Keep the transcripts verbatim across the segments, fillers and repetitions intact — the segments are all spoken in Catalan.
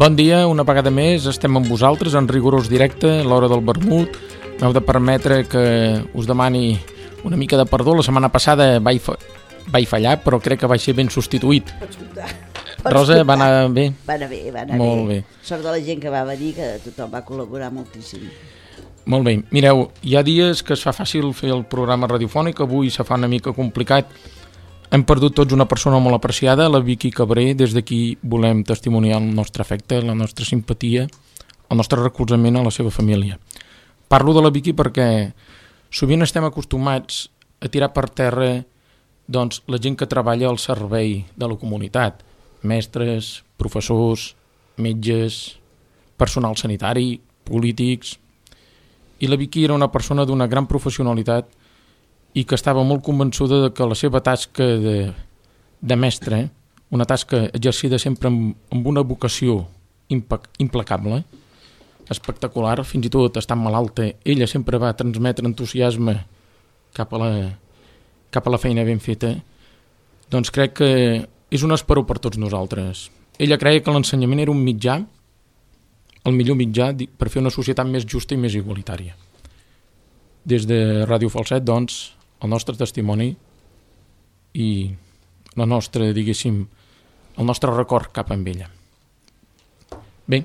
Bon dia, una vegada més, estem amb vosaltres en rigorós directe, a l'hora del vermut. M'heu de permetre que us demani una mica de perdó. La setmana passada vaig, fa... vaig fallar, però crec que vaig ser ben substituït. Pots comptar. Rosa, va anar bé? Va anar bé, va anar Molt bé. bé. Sort de la gent que va venir, que tothom va col·laborar moltíssim. Molt bé. Mireu, hi ha dies que es fa fàcil fer el programa radiofònic, avui se fa una mica complicat. Hem perdut tots una persona molt apreciada, la Vicky Cabré. Des d'aquí volem testimoniar el nostre afecte, la nostra simpatia, el nostre recolzament a la seva família. Parlo de la Vicky perquè sovint estem acostumats a tirar per terra doncs, la gent que treballa al servei de la comunitat. Mestres, professors, metges, personal sanitari, polítics. I la Vicky era una persona d'una gran professionalitat i que estava molt convençuda de que la seva tasca de, de mestre, una tasca exercida sempre amb, amb una vocació impa- implacable, espectacular, fins i tot estant malalta, ella sempre va transmetre entusiasme cap a la, cap a la feina ben feta, doncs crec que és un esperó per tots nosaltres. Ella creia que l'ensenyament era un mitjà, el millor mitjà per fer una societat més justa i més igualitària. Des de Ràdio Falset, doncs, el nostre testimoni i la nostra, diguéssim, el nostre record cap amb ella. Bé,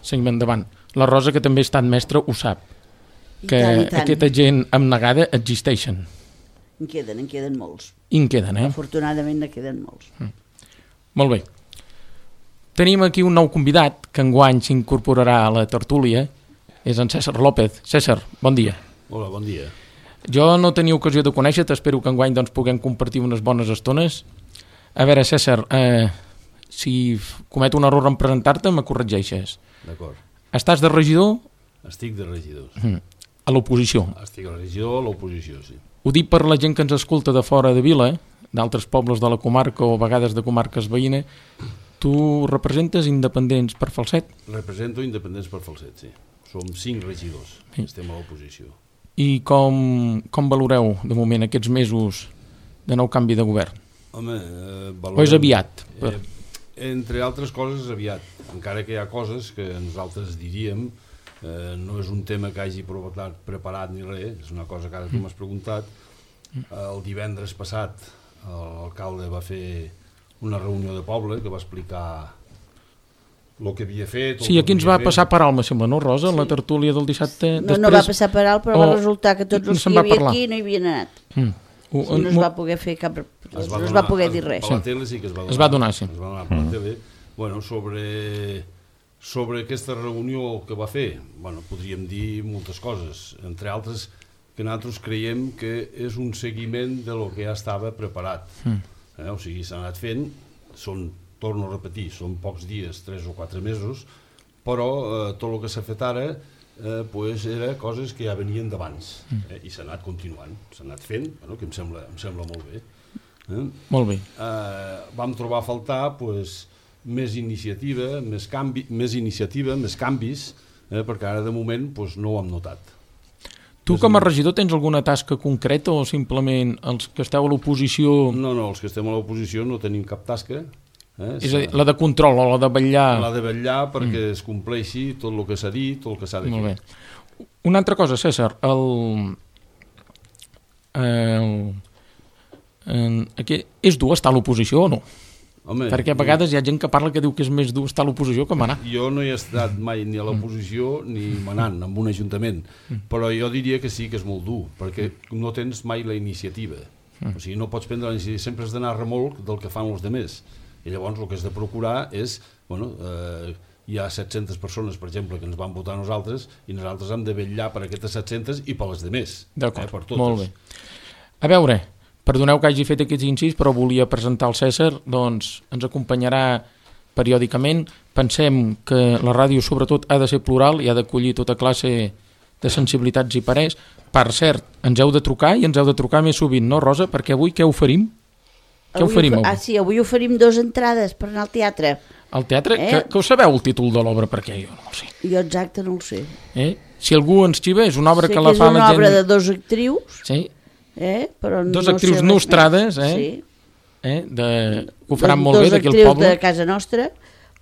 seguim endavant. La Rosa, que també ha estat mestra, ho sap, I que tant, i tant. aquesta gent abnegada existeixen. En queden, en queden molts. I en queden, eh? Afortunadament en queden molts. Mm. Molt bé. Tenim aquí un nou convidat que enguany s'incorporarà a la tertúlia. És en César López. César, bon dia. Hola, bon dia. Jo no tenia ocasió de conèixer-te, espero que enguany doncs, puguem compartir unes bones estones. A veure, César, eh, si cometo un error en presentar-te, me corregeixes. D'acord. Estàs de regidor? Estic de regidor. Mm. A l'oposició. Estic a la regidor, a l'oposició, sí. Ho dic per la gent que ens escolta de fora de Vila, d'altres pobles de la comarca o a vegades de comarques veïnes. Tu representes independents per Falset? Represento independents per Falset, sí. Som cinc regidors, Sí. estem a l'oposició. I com, com valoreu, de moment, aquests mesos de nou canvi de govern? Home, eh, valorem... O és aviat? Per... Eh, entre altres coses, aviat. Encara que hi ha coses que nosaltres diríem, eh, no és un tema que hagi preparat, preparat ni res, és una cosa que ara tu m'has preguntat. El divendres passat l'alcalde va fer una reunió de poble que va explicar el que havia fet... Sí, aquí ens va passar per alt, me sembla, no, Rosa? Sí. La tertúlia del dissabte... No, Després... no va passar per alt, però Oh, va resultar que tots no els se'n que hi va havia parlar. aquí no hi havien anat. Mm. Uh, Sí, no es va poder fer cap... No es donar, va poder dir es- res. Per la tele sí que es va donar. Es va donar, sí. Es va donar per la tele. Bueno, sobre, sobre aquesta reunió que va fer, bueno, podríem dir moltes coses, entre altres que nosaltres creiem que és un seguiment de lo que ja estava preparat. Mm. Eh? O sigui, s'ha anat fent, són, torno a repetir, són pocs dies, tres o quatre mesos, però eh, tot el que s'ha fet ara eh, pues era coses que ja venien d'abans, eh? I s'ha anat continuant, s'ha anat fent, bueno, que em sembla, em sembla molt bé. Eh? Molt bé. Eh, vam trobar a faltar pues, més iniciativa, més, canvi, més iniciativa, més canvis, eh? Perquè ara de moment pues, no ho hem notat. Tu com a regidor tens alguna tasca concreta o simplement els que esteu a l'oposició... No, no, els que estem a l'oposició no tenim cap tasca. Eh? És a dir, la de control o la de vetllar... La de vetllar perquè mm. es compleixi tot el que s'ha dit, tot el que s'ha de fer. Molt bé. Una altra cosa, César, el... el... el... Aquí, és dur estar a l'oposició o no? Home, Perquè a vegades hi ha gent que parla que diu que és més dur estar a l'oposició que manar. Jo no he estat mai ni a l'oposició ni manant en un ajuntament, però jo diria que sí que és molt dur, perquè no tens mai la iniciativa. O sigui, no pots prendre la iniciativa, sempre has d'anar a remolc del que fan els altres. I llavors el que has de procurar és, bueno, eh, hi ha set-centes persones, per exemple, que ens van votar a nosaltres, i nosaltres hem de vetllar per aquestes set-centes i per les altres. D'acord, eh, per totes. molt bé. A veure, perdoneu que hagi fet aquests incís, però volia presentar el César, doncs ens acompanyarà periòdicament. Pensem que la ràdio sobretot ha de ser plural i ha d'acollir tota classe de sensibilitats i parers. Per cert, ens heu de trucar i ens heu de trucar més sovint, no, Rosa? Perquè avui què oferim? Què Avui oferim avui? Ah, sí, avui oferim dues entrades per anar al teatre. Al teatre? Eh? Que, que us sabeu el títol de l'obra? Perquè jo no ho sé. Jo exacte no ho sé. Eh? Si algú ens xiva, és una obra sé que la que fa és la una gent... obra de dos actrius, Sí, eh? Però dos no actrius sé res nostrades, més. eh? Sí. eh? De... que ho faran Dos- molt bé dos d'aquí al actrius poble. de casa nostra,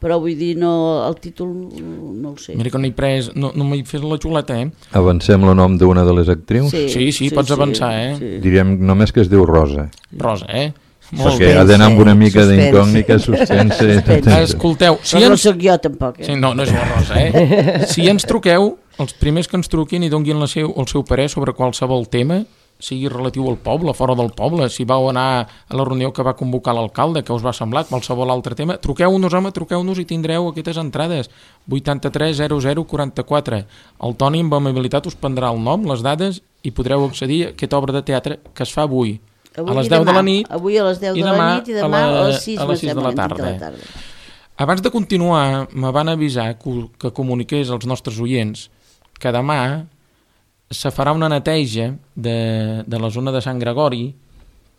però vull dir, no, el títol no el sé. Mira que no he pres, no, no m'he fet la xuleta, eh? Avancem el nom d'una de les actrius? Sí, sí, sí pots avançar, eh? Sí. Diríem només que es diu Rosa. Rosa, eh? Molt Perquè bé. ha d'anar amb una mica Suspense. d'incògnita, suspense... Suspense. Escolteu, si Però no ens... sóc jo tampoc, eh? Sí, no, no és la Rosa, eh? Si ens truqueu, els primers que ens truquin i donguin la seu, el seu parer sobre qualsevol tema, sigui relatiu al poble, fora del poble, si vau anar a la reunió que va convocar l'alcalde, que us va semblar, qualsevol altre tema, truqueu-nos, home, truqueu-nos i tindreu aquestes entrades. vuitanta-tres zero zero quaranta-quatre. El Toni amb amabilitat us prendrà el nom, les dades, i podreu accedir a aquesta obra de teatre que es fa avui, Avui a les i deu demà. de la nit, Avui a les deu i de la demà nit i demà a, la, a les sis, a les sis de la sembla, tarda. de la tarda. Abans de continuar, me van avisar que, que comuniqués als nostres oients que demà se farà una neteja de, de la zona de Sant Gregori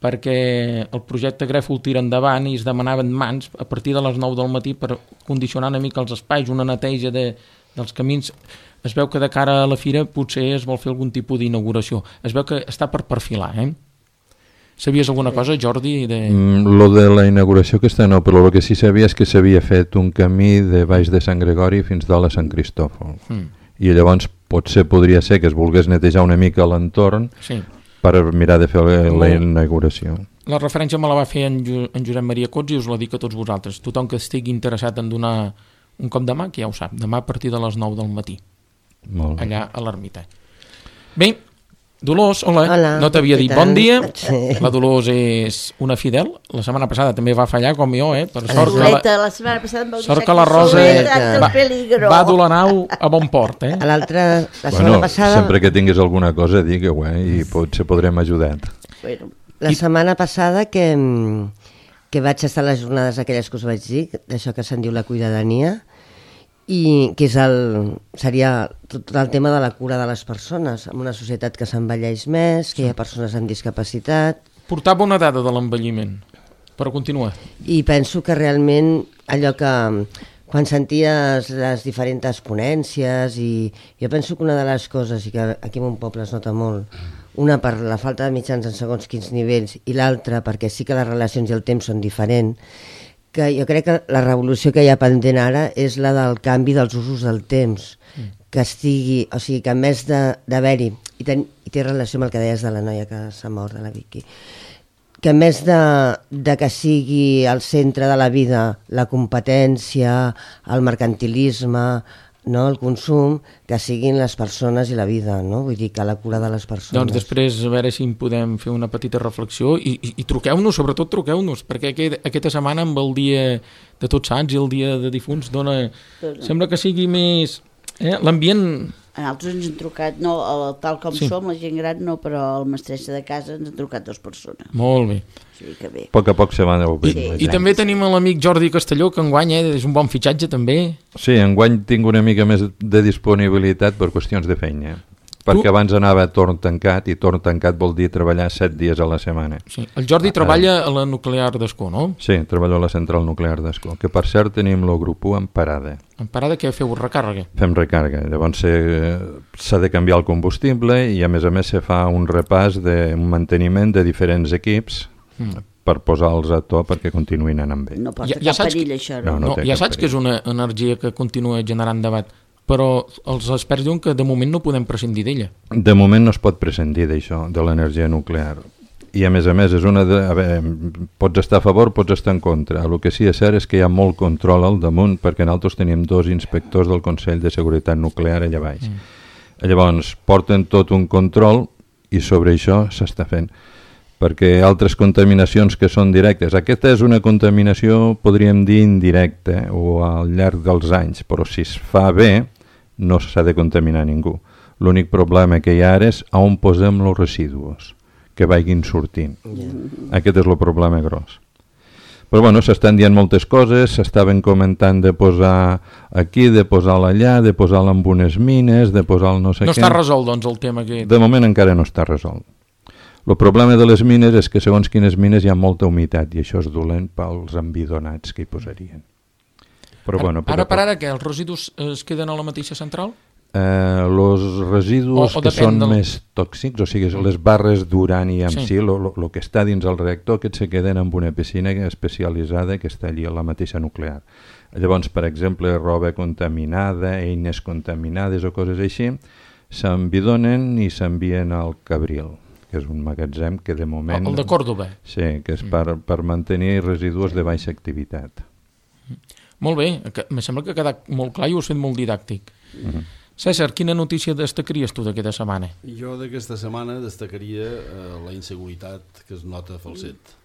perquè el projecte Grèfol tira endavant i es demanaven mans a partir de les nou del matí per condicionar una mica els espais, una neteja de, dels camins. Es veu que de cara a la fira potser es vol fer algun tipus d'inauguració. Es veu que està per perfilar, eh? Sabies alguna cosa, Jordi? De... Mm, lo de la inauguració aquesta no, però el que sí sabia és que s'havia fet un camí de baix de Sant Gregori fins dalt a Sant Cristòfol. Mm. I llavors potser podria ser que es volgués netejar una mica l'entorn sí. per mirar de fer la inauguració. La referència me la va fer en, jo, en Josep Maria Cots i us la dic a tots vosaltres. Tothom que estigui interessat en donar un cop de mà, que ja ho sap, demà a partir de les nou del matí. Molt bé. Allà a l'ermita. Bé, Dolors, hola, Hola, no t'havia dit bon dia. Sí. La Dolors és una fidel. La setmana passada també va fallar, com jo, eh? Per sort que Soleta, la, la setmana passada em vau sort deixar que la aquí Rosa soleta, va, el peligro. va dur la nau a bon port, eh? A l'altra, la setmana Bueno, passada... sempre que tinguis alguna cosa, digue-ho, eh? I potser podrem ajudar. Bueno, La setmana passada que, que vaig estar a les jornades aquelles que us vaig dir, d'això que se'n diu la cuidadania, i que és el, seria tot el tema de la cura de les persones, en una societat que s'envelleix més, que hi ha persones amb discapacitat, Portava una dada de l'envelliment, però continua. i penso que realment allò que quan senties les diferents ponències, i jo penso que una de les coses, i que aquí en un poble es nota molt, una per la falta de mitjans en segons quins nivells i l'altra perquè sí que les relacions i el temps són diferents, que jo crec que la revolució que hi ha pendent ara és la del canvi dels usos del temps, que estigui, o sigui, que en més d'haver-hi, i, ten, i té relació amb el que deies de la noia que s'ha mort, de la Vicky, que en més de, de que sigui al centre de la vida la competència, el mercantilisme, no, el consum, que siguin les persones i la vida, no? Vull dir que la cura de les persones. Doncs després a veure si en podem fer una petita reflexió i, i, i truqueu-nos, sobretot truqueu-nos, perquè aquest, aquesta setmana amb el dia de Tots Sants i el dia de difunts dona... Sembla que sigui més... Eh? L'ambient... a nosaltres ens han trucat, no, el, tal com Sí. som, la gent gran no, però el mestressa de casa ens han trucat dues persones. Molt bé. O sigui que bé. A poc a poc se van obrint. Sí. la I gent. també tenim l'amic Jordi Castelló, que enguany eh, és un bon fitxatge també. Sí, enguany tinc una mica més de disponibilitat per qüestions de feina. Perquè Tu- abans anava a torn tancat, i torn tancat vol dir treballar set dies a la setmana. Sí. El Jordi treballa a la nuclear d'Escó, no? Sí, treballo a la central nuclear d'Escó, que per cert tenim el grup u en parada. En parada que feu recàrrega. Fem recàrrega, llavors se- s'ha de canviar el combustible i a més a més se fa un repàs de un manteniment de diferents equips Mm. per posar-los a to perquè continuïn anant bé. No Ja- porta ja cap saps perill, que- això, No, no? no No, té ja cap saps que és una energia que continua generant debat, però els experts diuen que de moment no podem prescindir d'ella. De moment no es pot prescindir d'això, de l'energia nuclear. I a més a més, és una de, a veure, pots estar a favor, pots estar en contra. El que sí és cert és que hi ha molt control al damunt, perquè nosaltres tenim dos inspectors del Consell de Seguretat Nuclear allà baix. Mm. Llavors, porten tot un control i sobre això s'està fent. Perquè altres contaminacions que són directes, aquesta és una contaminació, podríem dir, indirecta o al llarg dels anys, però si es fa bé no s'ha de contaminar ningú. L'únic problema que hi ha ara és on posem els residus que vagin sortint. Yeah. Aquest és el problema gros. Però bueno, s'estan dient moltes coses, s'estaven comentant de posar aquí, de posar-la allà, de posar-la en unes mines, de posar-la no sé No què. està resolt, doncs, el tema aquest. De moment encara no està resolt. El problema de les mines és que segons quines mines hi ha molta humitat i això és dolent pels embidonats que hi posarien. Però Ara, bueno, a poc a ara per poc. ara, què? Els residus es queden a la mateixa central? Eh, los residus O- o que depèn són del- més tòxics, o sigui, les barres d'urani en Sí. si, el que està dins el reactor, que se queden en una piscina especialitzada que està allí a la mateixa nuclear. Llavors, per exemple, roba contaminada, eines contaminades o coses així, s'envidonen i s'envien al Cabril, que és un magatzem que de moment... El de Còrdoba. Sí, que és per, per mantenir residus de baixa activitat. Molt bé, em sembla que ha quedat molt clar i ho has fet molt didàctic. Uh-huh. César, quina notícia destacaries tu d'aquesta setmana? Jo d'aquesta setmana destacaria eh, la inseguretat que es nota a Falset.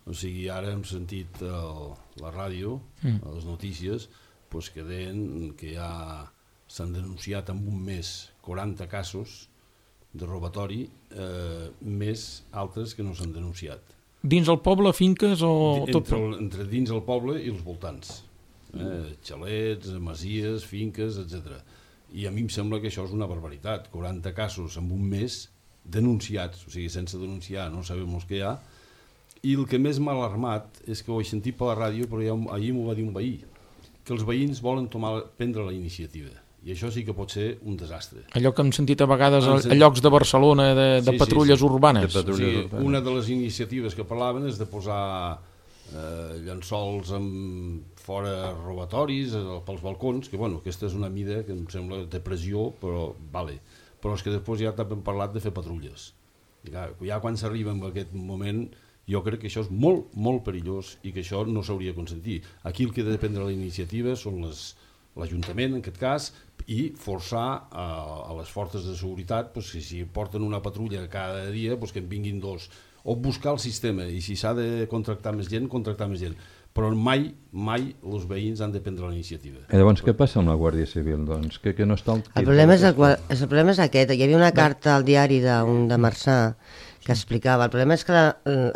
O sigui, ara hem sentit el, la ràdio, mm. les notícies, pues que deien que ja s'han denunciat en un mes quaranta casos de robatori, eh, més altres que no s'han denunciat. Dins el poble, finques o... Entre, tot... entre dins el poble i els voltants. Eh, xalets, masies, finques, etcètera. I a mi em sembla que això és una barbaritat. quaranta casos en un mes denunciats, o sigui, sense denunciar, no sabem els que hi ha. I el que més m'ha alarmat és que ho he sentit per la ràdio, però ja, ahir m'ho va dir un veí, que els veïns volen tomar, prendre la iniciativa. I això sí que pot ser un desastre. Allò que hem sentit a vegades a, a llocs de Barcelona de, de sí, patrulles sí, sí. urbanes. De patrulles o sigui, urbanes. Una de les iniciatives que parlaven és de posar eh, llençols amb fora robatoris eh, pels balcons, que bueno, aquesta és una mida que em sembla de pressió, però vale. Però és que després ja també hem parlat de fer patrulles. Ja, ja quan s'arriba en aquest moment, jo crec que això és molt, molt perillós i que això no s'hauria de consentir. Aquí el que ha de prendre la iniciativa són les l'Ajuntament, en aquest cas, i forçar a, a les forces de seguretat pues, que si porten una patrulla cada dia, pues, que en vinguin dos, o buscar el sistema, i si s'ha de contractar més gent, contractar més gent. Però mai, mai els veïns han de prendre la iniciativa. I llavors què passa amb la Guàrdia Civil? Doncs? Que, que no està el... El problema és, el, el problema és aquest. Hi havia una carta al diari de, un, de Marçà que explicava. El problema és que la,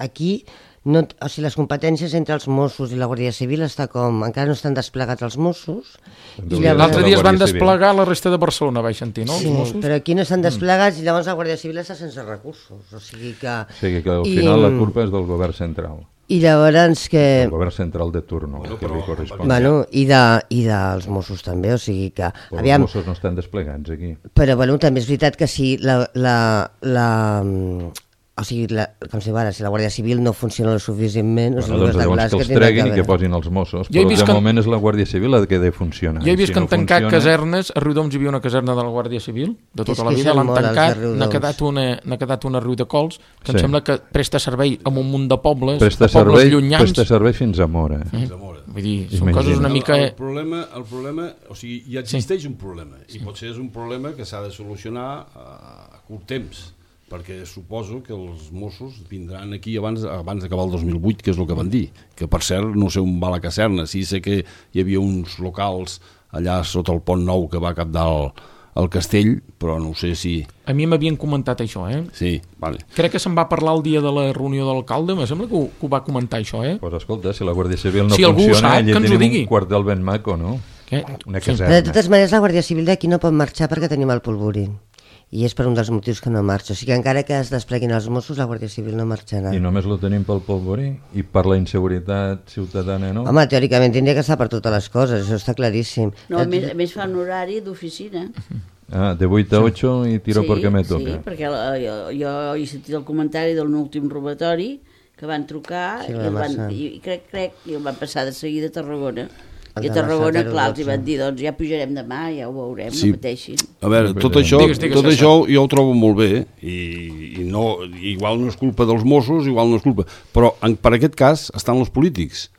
aquí... No, o sigui, les competències entre els Mossos i la Guàrdia Civil està com... Encara no estan desplegats els Mossos. L'altre dia es van desplegar la resta de Barcelona, vaig sentir, no? Sí, els Mossos? Però aquí no estan desplegats i llavors la Guàrdia Civil està sense recursos. O sigui que... O sigui que al final I, la culpa és del govern central. I llavors que... El govern central de turno, bueno, que li correspon. Bueno, i, de, i dels Mossos també, o sigui que... Però aviam, els Mossos no estan desplegats aquí. Però bueno, també és veritat que si la... la, la O sigui, la, com si, ara, si la Guàrdia Civil no funciona lo suficientment... Bueno, o sigui, doncs llavors que els treguin i que posin els Mossos, però de que... moment és la Guàrdia Civil la que ha de funcionar. Jo he vist si que han no tancat funciona... casernes, a Riudoms hi havia una caserna de la Guàrdia Civil, de tota la vida, l'han tancat, n'ha quedat, una, n'ha quedat una Riu de Cols, que sí. Em sembla que presta servei a un munt de pobles, presta de pobles servei, llunyans. Presta servei fins a Mora. Eh? Fins a Mora. Vull dir, són Imagina. Coses una mica... El, el, problema, el problema, o sigui, ja existeix sí. un problema, i sí. potser és un problema que s'ha de solucionar a, a curt temps, perquè suposo que els Mossos vindran aquí abans, abans d'acabar el dos mil vuit, que és el que van dir, que per cert no sé on va la caserna, sí sé que hi havia uns locals allà sota el Pont Nou que va cap dalt al castell, però no sé si... A mi m'havien comentat això, eh? Sí, vale. Crec que se'n va parlar el dia de la reunió de l'alcalde, em sembla que ho, que ho va comentar això, eh? Doncs pues escolta, si la Guàrdia Civil no si funciona, allà tenim un quartel ben maco, no? Què? Una caserna. Però de totes maneres la Guàrdia Civil d'aquí no pot marxar perquè tenim el polvorí. I és per un dels motius que no marxa. O sigui que encara que es despleguin els Mossos, la Guàrdia Civil no marxarà. I només lo tenim pel polvorí? I per la inseguretat ciutadana, no? Home, teòricament tindria que estar per totes les coses, això està claríssim. No, a més, a més fa un horari d'oficina. Ah, de vuit a ocho i tiro sí, perquè me toca. Sí, perquè la, jo, jo he sentit el comentari de l'últim robatori que van trucar sí, i, el van, i, i crec, crec, i el van passar de seguida a Tarragona. I a Tarragona, clar, els hi van dir, doncs ja pujarem demà, ja ho veurem, sí. No pateixin. A veure, tot això, digues, digues, tot això jo ho trobo molt bé, i, i no, igual no és culpa dels Mossos, igual no és culpa, però en, per aquest cas estan els polítics.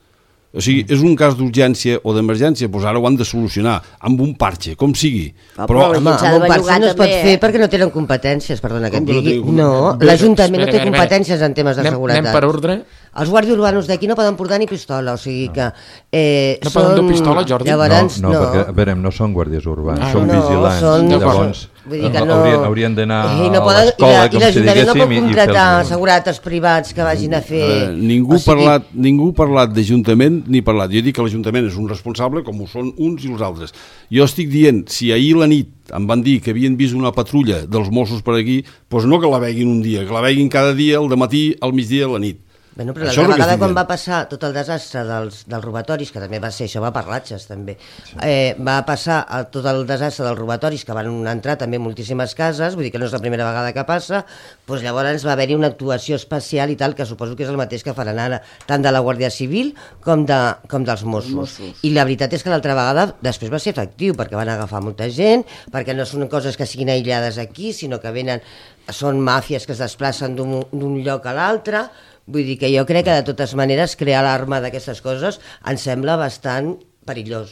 O sigui, és un cas d'urgència o d'emergència, doncs ara ho han de solucionar amb un parche, com sigui. Ah, però, però home, amb un parche no es pot fer perquè no tenen competències, perdona que et digui. No, l'Ajuntament no té competències en temes de seguretat. Anem per ordre. Els guàrdies urbanos d'aquí no poden portar ni pistola, o sigui que... Eh, no poden dur pistola, Jordi? Llavors, no, no, perquè, a veure, no són guàrdies urbans, ah, són no, vigilants. Són... Llavors, vull dir que no... haurien, haurien d'anar no a l'escola, com si diguéssim... I l'Ajuntament no pot contratar segurates privats que vagin a fer... Eh, ningú, o sigui... parlat, ningú ha parlat d'Ajuntament ni parlat. Jo dic que l'Ajuntament és un responsable, com ho són uns i els altres. Jo estic dient, si ahir la nit em van dir que havien vist una patrulla dels Mossos per aquí, doncs no que la veguin un dia, que la veguin cada dia, al dematí, al migdia, a la nit. Bueno, però l'altra vegada quan va passar tot el desastre dels, dels robatoris, que també va ser, això va per ratxes també, sí. eh, va passar el, tot el desastre dels robatoris, que van entrar també moltíssimes cases, vull dir que no és la primera vegada que passa, doncs llavors va haver-hi una actuació especial i tal, que suposo que és el mateix que faran ara, tant de la Guàrdia Civil com, de, com dels Mossos. Mossos. I la veritat és que l'altra vegada després va ser efectiu, perquè van agafar molta gent, perquè no són coses que siguin aïllades aquí, sinó que venen, són màfies que es desplacen d'un lloc a l'altre. Vull dir que jo crec que de totes maneres crear l'arma d'aquestes coses em sembla bastant perillós.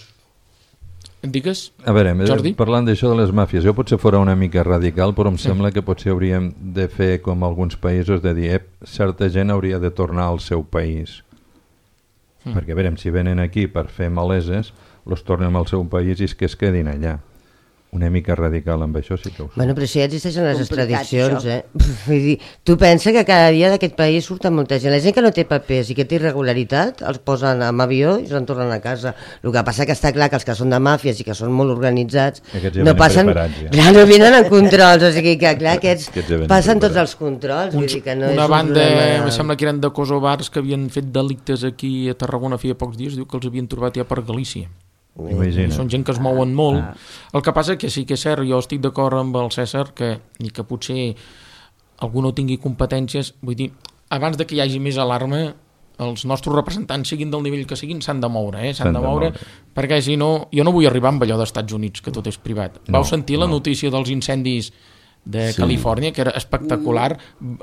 Digues, a veure, Jordi? Parlant d'això de les màfies, jo potser fora una mica radical, però em sí. sembla que potser hauríem de fer com alguns països, de dir, eh, certa gent hauria de tornar al seu país. Mm. Perquè, a veure, si venen aquí per fer maleses, els tornem al seu país i és que es quedin allà. Una mica radical amb això sí que ho sé. Bueno, però si ja existeixen les extradicions, eh? Vull dir, tu pensa que cada dia d'aquest país surten molta gent. La gent que no té papers i que té irregularitat els posen en avió i se'n tornen a casa. El que passa que està clar que els que són de màfies i que són molt organitzats ja no passen... Ja. Clar, no venen en controls, o sigui que clar, aquests, aquests ja passen tots els controls. Vull dir que no una és banda, un em sembla que eren de kosovars que havien fet delictes aquí a Tarragona feia pocs dies, diu que els havien trobat ja per Galícia. Imagina. Són gent que es mouen molt. Ah. El que passa que sí que és cert, jo estic d'acord amb el César que, i que potser algú no tingui competències, vull dir, abans de que hi hagi més alarma, els nostres representants, siguin del nivell que siguin, s'han de moure, eh? s'han de moure, de moure, perquè si no, jo no vull arribar amb allò d'Estats Units, que tot és privat. No, Vau sentir la no. notícia dels incendis de sí. Califòrnia, que era espectacular,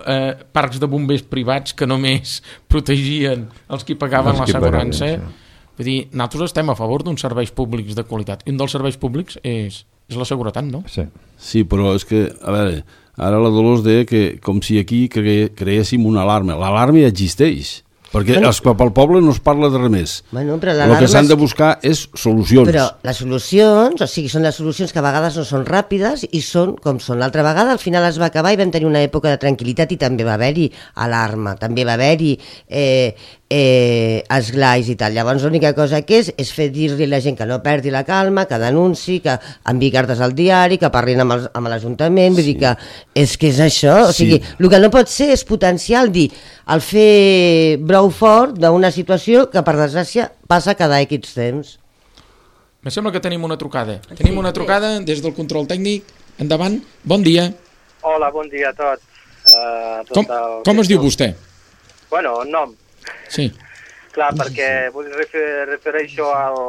eh, parcs de bombers privats que només protegien els que pagaven els l'assegurança. Sí. Vull dir, nosaltres estem a favor d'uns serveis públics de qualitat. I un dels serveis públics és, és la seguretat, no? Sí. Sí, però és que, a veure, ara la Dolors deia que com si aquí cre creéssim una alarma. L'alarma ja existeix. Perquè bueno, pel poble no es parla de res més. Bueno, però el que s'han de buscar és solucions. Però les solucions, o sigui, són les solucions que a vegades no són ràpides i són com són. L'altra vegada al final es va acabar i vam tenir una època de tranquil·litat i també va haver-hi alarma, també va haver-hi eh, eh, esglais i tal. Llavors l'única cosa que és és fer dir-li a la gent que no perdi la calma, que denunci, que enviï cartes al diari, que parlin amb l'Ajuntament, vull sí. dir que és que és això. O sigui, sí. el que no pot ser és potencial dir el fer brou fort d'una situació que per desgràcia passa cada X temps. Me sembla que tenim una trucada. Sí, tenim una trucada sí. des del control tècnic. Endavant, bon dia. Hola, bon dia a tots. Uh, tot com el... com es diu vostè? Bueno, el nom. Sí. Clar, perquè vull refer, refereixo al,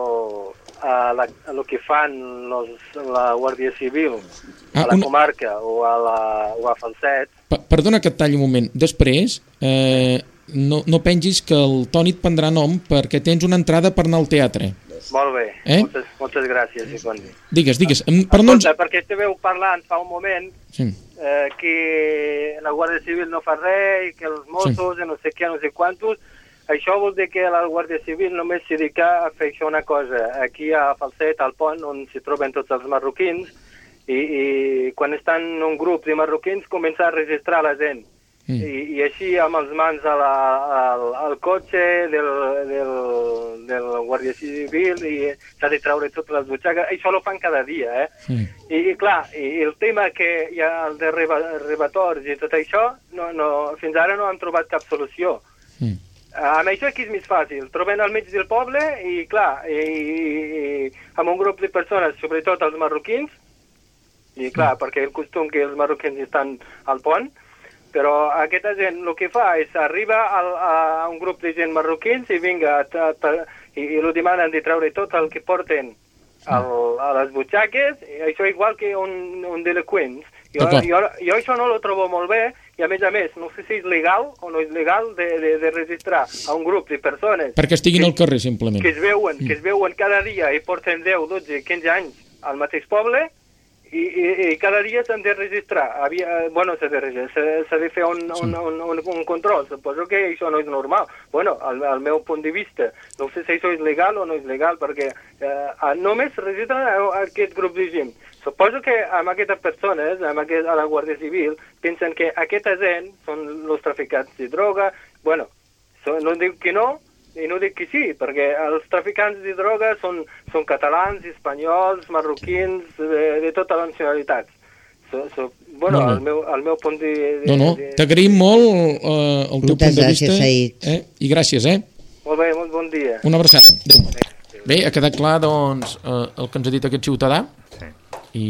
a, la, a lo que fan los, la Guàrdia Civil ah, a la una... comarca o a, la, o a Falset. Pa perdona que et talli un moment. Després, eh, no, no pengis que el Toni et prendrà nom perquè tens una entrada per anar al teatre. Molt bé, eh? moltes, moltes gràcies. Sí, digues, digues. Per no ens... Perquè estàveu parlant fa un moment sí. eh, que la Guàrdia Civil no fa res i que els Mossos sí. no sé què, no sé quantos. Això vol dir que la Guàrdia Civil només s'hi dedica a fer això una cosa. Aquí a Falset, al pont, on s'hi troben tots els marroquins, i, i quan estan un grup de marroquins comença a registrar la gent. Mm. I, I així amb els mans a la, al, al cotxe del, del, del Guàrdia Civil i s'ha de treure totes les butxaques. Això ho fan cada dia, eh? Mm. I, I clar, i el tema que hi ha el de rebators i tot això, no, no, fins ara no han trobat cap solució. Mm. Amb això aquí és més fàcil, trobem al mig del poble i clar, i, i, amb un grup de persones, sobretot els marroquins, i clar, perquè el costum que els marroquins estan al pont, però aquesta gent el que fa és arriba al, a un grup de gent marroquins i vinga, ta, ta, i, i lo demanen de treure tot el que porten al, a les butxaques, i això igual que un, un delinqüent. Jo, jo, jo això no lo trobo molt bé i a més a més no sé si és legal o no és legal de, de, de registrar a un grup de persones perquè estiguin que, al carrer simplement que es veuen, mm. que es veuen cada dia i porten deu, dotze, quinze anys al mateix poble i, i, i cada dia s'han de registrar. Havia, bueno, s'ha de, de fer un, sí. un, un, un, un control. Suposo que això no és normal. Bueno, al, al meu punt de vista, no sé si això és legal o no és legal, perquè eh, només registren aquest grup de gent. Suposo que amb aquestes persones, amb aquest, a la Guàrdia Civil, pensen que aquesta gent són els traficants de droga. Bueno, so, no dic que no, i no dic que sí, perquè els traficants de droga són, són catalans, espanyols, marroquins, de, de totes les nacionalitats. So, so, bueno, no, no. El, meu, el meu punt de... de no, no, de... t'agraïm molt eh, el teu Moltes punt de gràcies, vista. Saïd. Eh? I gràcies, eh? Molt bé, molt bon dia. Una abraçada. Adéu. Bé, ha quedat clar, doncs, eh, el que ens ha dit aquest ciutadà. Sí. I,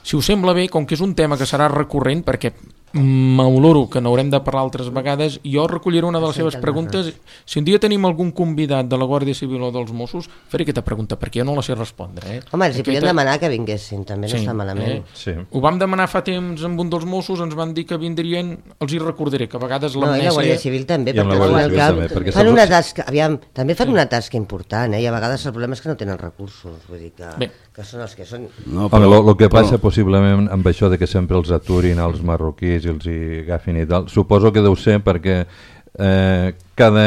si us sembla bé, com que és un tema que serà recurrent, perquè m'oloro que n'haurem de parlar altres vegades, jo recolliré una de les seves preguntes. Si un dia tenim algun convidat de la Guàrdia Civil o dels Mossos, faré aquesta pregunta, perquè jo no la sé respondre. Eh? Home, els hi podien demanar que vinguessin, també no sí, està malament. Eh? Sí. Ho vam demanar fa temps amb un dels Mossos, ens van dir que vindrien, els hi recordaré, que a vegades l'amnèsia... No, i la Guàrdia Civil també, I perquè, Guàrdia Civil també, perquè fan una tasca, aviam, també fan sí. una tasca important, eh? I a vegades el problema és que no tenen recursos, vull dir que, que són els que són... No, però, Home, el que passa però... possiblement amb això de que sempre els aturin als marroquís i els hi agafin i tal, suposo que deu ser perquè eh, cada,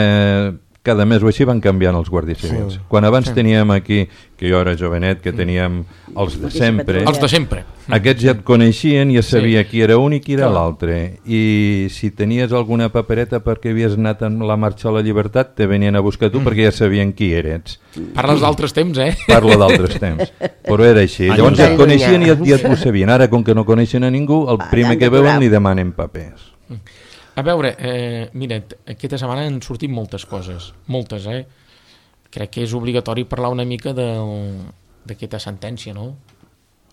cada mes o així van canviant els guàrdies civils. Sí. Quan abans sí. teníem aquí, que jo era jovenet, que teníem els de sempre, els de sempre. Aquests ja et coneixien i ja sabia sí. qui era un i qui era l'altre. I si tenies alguna papereta perquè havies anat en la marxa a la llibertat, te venien a buscar tu mm. perquè ja sabien qui eres. Parles d'altres temps, eh? Parlo d'altres temps. Però era així. Llavors ja et coneixien i ja et ho sabien. Ara, com que no coneixen a ningú, el primer que veuen li demanen papers. A veure, eh, mira, aquesta setmana han sortit moltes coses, moltes, eh? Crec que és obligatori parlar una mica d'aquesta sentència, no?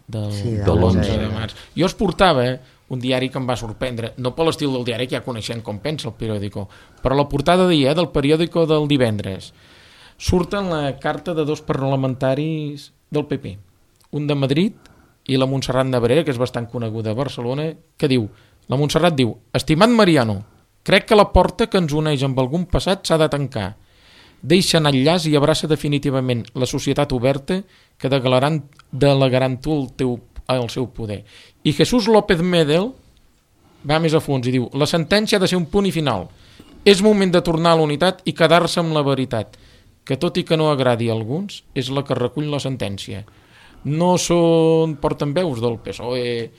Del, sí, de l'onze de març. Jo es portava un diari que em va sorprendre, no per l'estil del diari, que ja coneixem com pensa el periòdico, però la portada d'ahir, eh, del periòdico del divendres, surt en la carta de dos parlamentaris del P P, un de Madrid i la Montserrat Nebrera, que és bastant coneguda a Barcelona, que diu, la Montserrat diu, estimat Mariano, crec que la porta que ens uneix amb algun passat s'ha de tancar. Deixa anar el llaç i abraça definitivament la societat oberta que delegaran tu el, teu, el seu poder. I Jesús López Medel va més a fons i diu, la sentència ha de ser un punt i final. És moment de tornar a la unitat i quedar-se amb la veritat, que tot i que no agradi a alguns, és la que recull la sentència. No són portaveus del P S O E,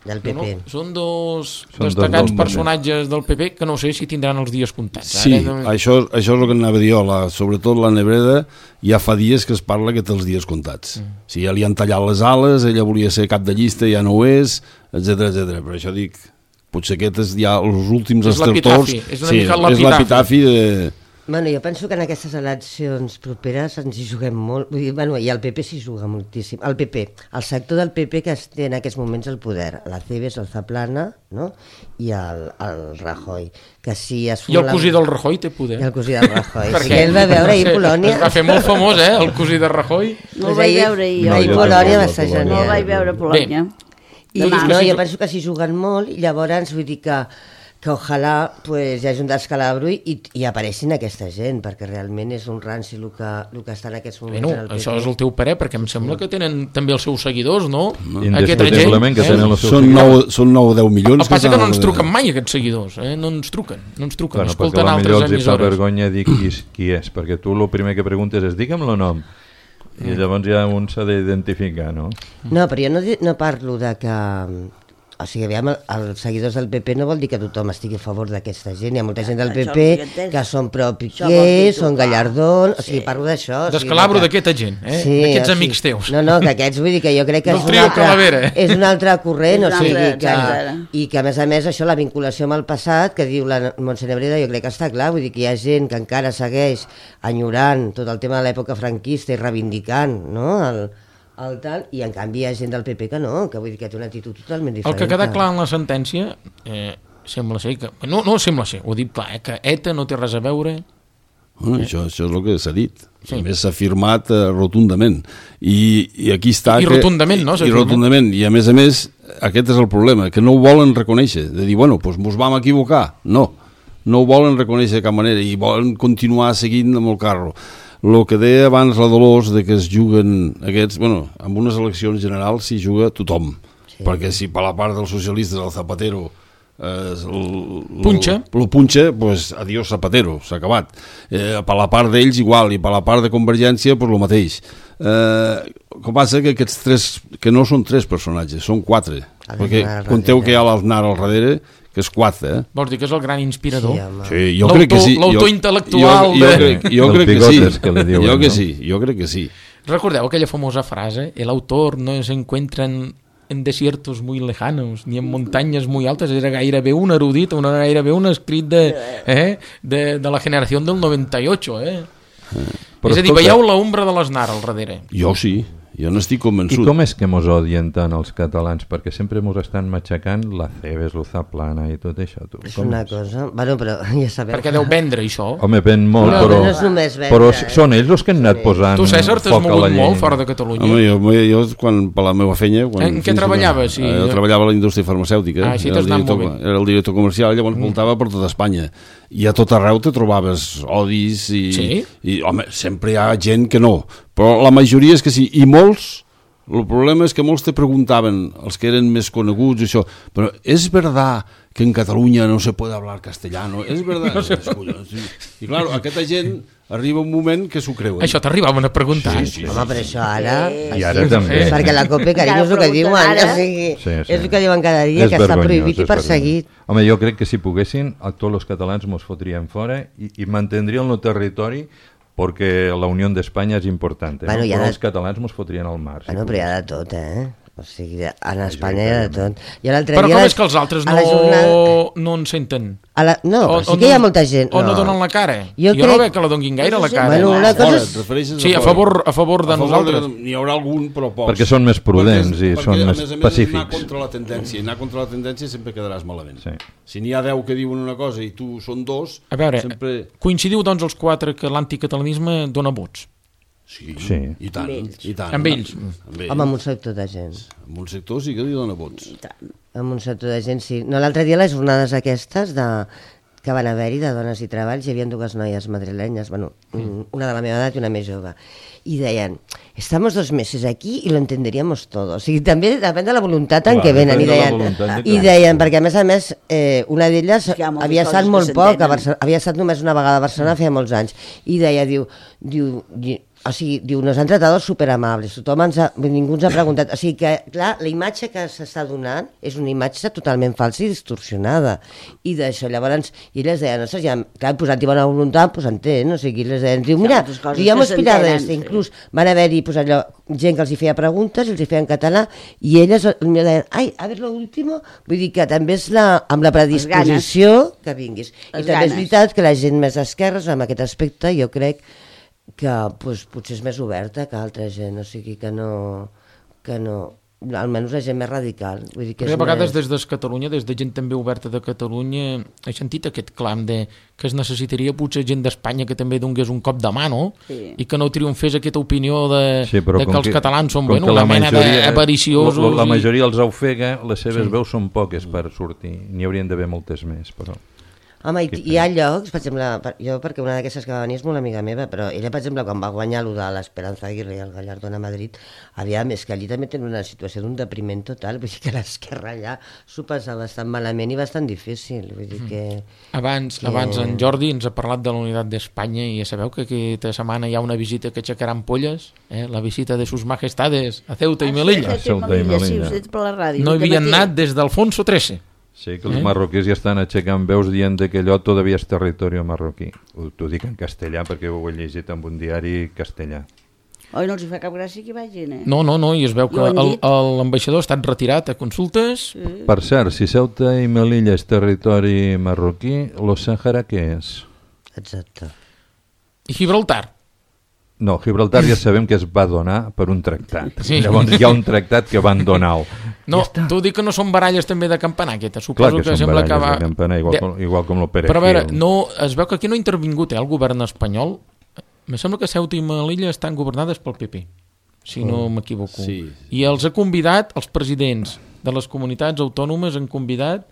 del P P. No, no. Són dos són destacats dos personatges del P P que no sé si tindran els dies comptats. Sí, Ara, no... això, això és el que anava a dir jo, la, sobretot la Nebreda, ja fa dies que es parla que té els dies comptats. Mm. Si ja li han tallat les ales, ella volia ser cap de llista, ja no ho és, etcètera, etcètera. Per això dic, potser aquest és ja els últims estertors. És una sí, mica l'epitafi. És l'epitafi de... Bueno, jo penso que en aquestes eleccions properes ens hi juguem molt, vull dir, bueno, i el P P s'hi juga moltíssim. El P P, el sector del P P que té en aquests moments el poder, la Cebes, el Zaplana, no? I el, el Rajoy. Que si es I el cosí la... del Rajoy té poder. I el cosí del Rajoy. Sí, ell va veure ahir Polònia. Es va fer molt famós, eh, el cosí de Rajoy. No el vaig veure jo. No, ahir Polònia va estar genial. No el vaig veure Polònia. I, no, jo penso que s'hi juguen molt i llavors vull dir que que ojalà pues, hi hagi un descalabro i, i apareixin aquesta gent, perquè realment és un ranci el que, el que està en aquests moments bueno, en el P P. Això és el teu parer, perquè em sembla que tenen també els seus seguidors, no? no. Indiscutiblement que tenen els seus són seguidors. Són nou o deu milions. El que passa que no ens truquen mai aquests seguidors, eh? no ens truquen, no ens truquen, bueno, escolten altres emissores. Els hi fa vergonya dir qui, qui és, perquè tu el primer que preguntes és digue'm el nom, i llavors ja un s'ha d'identificar, no? No, però jo no, no parlo de que... O sigui, aviam, els seguidors del P P no vol dir que tothom estigui a favor d'aquesta gent. Hi ha molta gent del P P que són pro-Piqué, són Gallardón... O sigui, parlo d'això. Descalabro d'aquesta gent, eh? Sí, d'aquests o sigui, amics teus. No, no, que aquests vull dir que jo crec que no és, un altre, és un altre corrent, o sigui, que, i que a més a més això, la vinculació amb el passat, que diu la Montse Nebreda, jo crec que està clar, vull dir que hi ha gent que encara segueix enyorant tot el tema de l'època franquista i reivindicant, no?, el el tal, i en canvi hi ha gent del P P que no, que vull dir que té una actitud totalment diferent. El que queda clar en la sentència eh, sembla ser que... No, no sembla ser, ho dic clar, eh, que ETA no té res a veure... Bueno, eh? això, això és el que s'ha dit. Sí. A més s'ha afirmat eh, rotundament. I, I aquí està... I que, rotundament, no? I rotundament. I a més a més, aquest és el problema, que no ho volen reconèixer. De dir, bueno, doncs mos vam equivocar. No, no ho volen reconèixer de cap manera i volen continuar seguint amb el carro. El que deia abans la Dolors de que es juguen aquests... Bueno, en unes eleccions generals s'hi juga tothom. Sí. Perquè si per la part dels socialistes el Zapatero eh, el, punxa, el, el punxa, pues adiós Zapatero, s'ha acabat. Eh, per la part d'ells igual, i per la part de Convergència pues el mateix. Eh, com passa que aquests tres, que no són tres personatges, són quatre. Perquè conteu que hi ha l'Aznar al darrere, que és quatre, eh? Vols dir que és el gran inspirador? Sí, sí, jo crec que sí. L'autor intel·lectual jo, jo, jo, crec, jo crec que sí. Que diuen, jo que no? sí, jo crec que sí. Recordeu aquella famosa frase, el autor no se encuentra en en desiertos muy lejanos, ni en muntanyes muy altes, era gairebé un erudit, una gairebé un escrit de, eh, de, de la generació del noventa i ocho, eh? Però és a dir, escolta, veieu l'ombra de l'Aznar al darrere? Jo sí. Jo n'estic convençut. I com és que mos odien tant els catalans? Perquè sempre mos estan matxacant la Cebes, l'Uzaplana i tot això. Tu. És una cosa... Bueno, però ja sabeu... Perquè deu vendre, això. Home, ven molt, no, però... No és només vendre. Però són ells els que han anat sí. posant tu, César, t'has mogut molt fora de Catalunya. Home, jo, jo quan, per la meva feina... Quan, en què treballaves? Sí. Jo treballava a la indústria farmacèutica. Ah, sí, t'has anat molt bé. Era el director comercial, llavors mm. voltava per tota Espanya. I a tot arreu te trobaves odis i... Sí? I, home, sempre hi ha gent que no. Però la majoria és que sí. I molts... El problema és que molts te preguntaven, els que eren més coneguts, això, però és verdad que en Catalunya no se puede hablar castellano? És verdad? No sé. I clar, aquesta gent arriba un moment que s'ho creu. Eh? Això t'arribaven a preguntar. Sí, sí, sí, home, però això ara... Sí. I ara també. Sí. Perquè la COPE, carinyo, és el que diuen. O sigui, sí, sí. És el que diuen cada dia, és que està prohibit i perseguit. Home, jo crec que si poguessin, a tots els catalans mos fotrien fora i, i mantindrien el territori perquè la Unió d'Espanya és important, eh? Bueno, no? Però de... els catalans mos fotrien al mar. Bueno, si però hi ha de tot, eh? O sigui, en Espanya hi ha de tot. I però com és que els altres no, jornada... no en senten? A la... No, o, però sí que hi ha molta gent. O no, no donen la cara. Jo, jo crec... no veig que la donguin gaire la cara. Bueno, una cosa és... Sí, a favor, a favor de a favor nosaltres. De... N'hi haurà algun, però pocs. Perquè són més prudents perquè, i són perquè, més a més a més, pacífics. Anar contra la tendència. Anar contra la tendència sempre quedaràs malament. Sí. Si n'hi ha deu que diuen una cosa i tu són dos... A veure, sempre... coincidiu doncs els quatre que l'anticatalanisme dona vots? Sí, sí, i tant, i tant. Amb ells? Amb ells. Home, amb un sector de gent. Amb un sector sí que li dona vots. Amb un sector de gent, sí. No, l'altre dia les jornades aquestes de... que van haver-hi de dones i treballs, hi havia dues noies madrilenyes, bueno, una de la meva edat i una més jove, i deien, estamos dos meses aquí y lo entenderíamos todo. O sigui, també depèn de la voluntat en què venen. I deien, i deien, perquè a més a més, eh, una d'elles havia estat molt poc, a Barcelona, havia estat només una vegada a Barcelona, feia molts anys, i deia, diu, diu, o sigui, diu, nos han tratado superamables, tothom ens ha, ningú ens ha preguntat, o sigui que, clar, la imatge que s'està donant és una imatge totalment falsa i distorsionada, i d'això, llavors, i elles deien, ostres, ja, clar, posant-hi bona voluntat, pues entén, o sigui, les deien, diu, mira, ja m'ho aspirava d'este, inclús van haver-hi, pues allò, gent que els hi feia preguntes, els hi feia en català, i elles potser deien, ai, a veure l'último, vull dir que també és la, amb la predisposició que vinguis, i també és veritat que la gent més d'esquerres, amb aquest aspecte, jo crec que pues, potser és més oberta que altra gent, o sigui que no, que no, almenys la gent més radical. Vull dir que a vegades més... des de Catalunya, des de gent també oberta de Catalunya, he sentit aquest clam de que es necessitaria potser gent d'Espanya que també donés un cop de mà, no? Sí. I que no triomfés aquesta opinió de, sí, de que els que, catalans són bueno, una mena d'avariciosos. La, la majoria i... els ofega, les seves sí. veus són poques per sortir, n'hi haurien d'haver moltes més, però... Home, i, hi ha llocs, per exemple, jo perquè una d'aquestes que va venir és molt amiga meva, però ella, per exemple, quan va guanyar allò de l'Esperanza Aguirre i el Gallardón a Madrid, havia més que allí també tenen una situació d'un depriment total, vull dir que l'esquerra allà s'ho passa bastant malament i bastant difícil, vull dir que... Abans, que... abans en Jordi ens ha parlat de la Unitat d'Espanya i ja sabeu que aquesta setmana hi ha una visita que aixecarà ampolles, eh? La visita de sus majestades a Ceuta i Melilla. A Ceuta i Melilla, sí, per la ràdio. No hi havien anat des d'Alfonso trece. Sí, que els eh? marroquís ja estan aixecant veus dient que allò todavía és territori marroquí. T'ho dic en castellà perquè ho he llegit en un diari castellà. Oi, no els fa cap gràcia que vagin, eh? No, no, no, i es veu que l'ambaixador ha estat retirat a consultes. Sí. Per cert, si Ceuta i Melilla és territori marroquí, lo Sàhara què és? Exacte. I Gibraltar? No, Gibraltar ja sabem que es va donar per un tractat. Sí. Llavors hi ha un tractat que van donar-ho. No, ja tu dic que no són baralles també de campanar, aquesta. Suposo Clar que, que són sembla baralles que va... de campanar, igual, de... com, igual com el Perejil. Però a veure, no, es veu que aquí no ha intervingut eh, el govern espanyol. Me sembla que Ceuta i Melilla estan governades pel P P, si oh. no m'equivoco. Sí. I els ha convidat, els presidents de les comunitats autònomes han convidat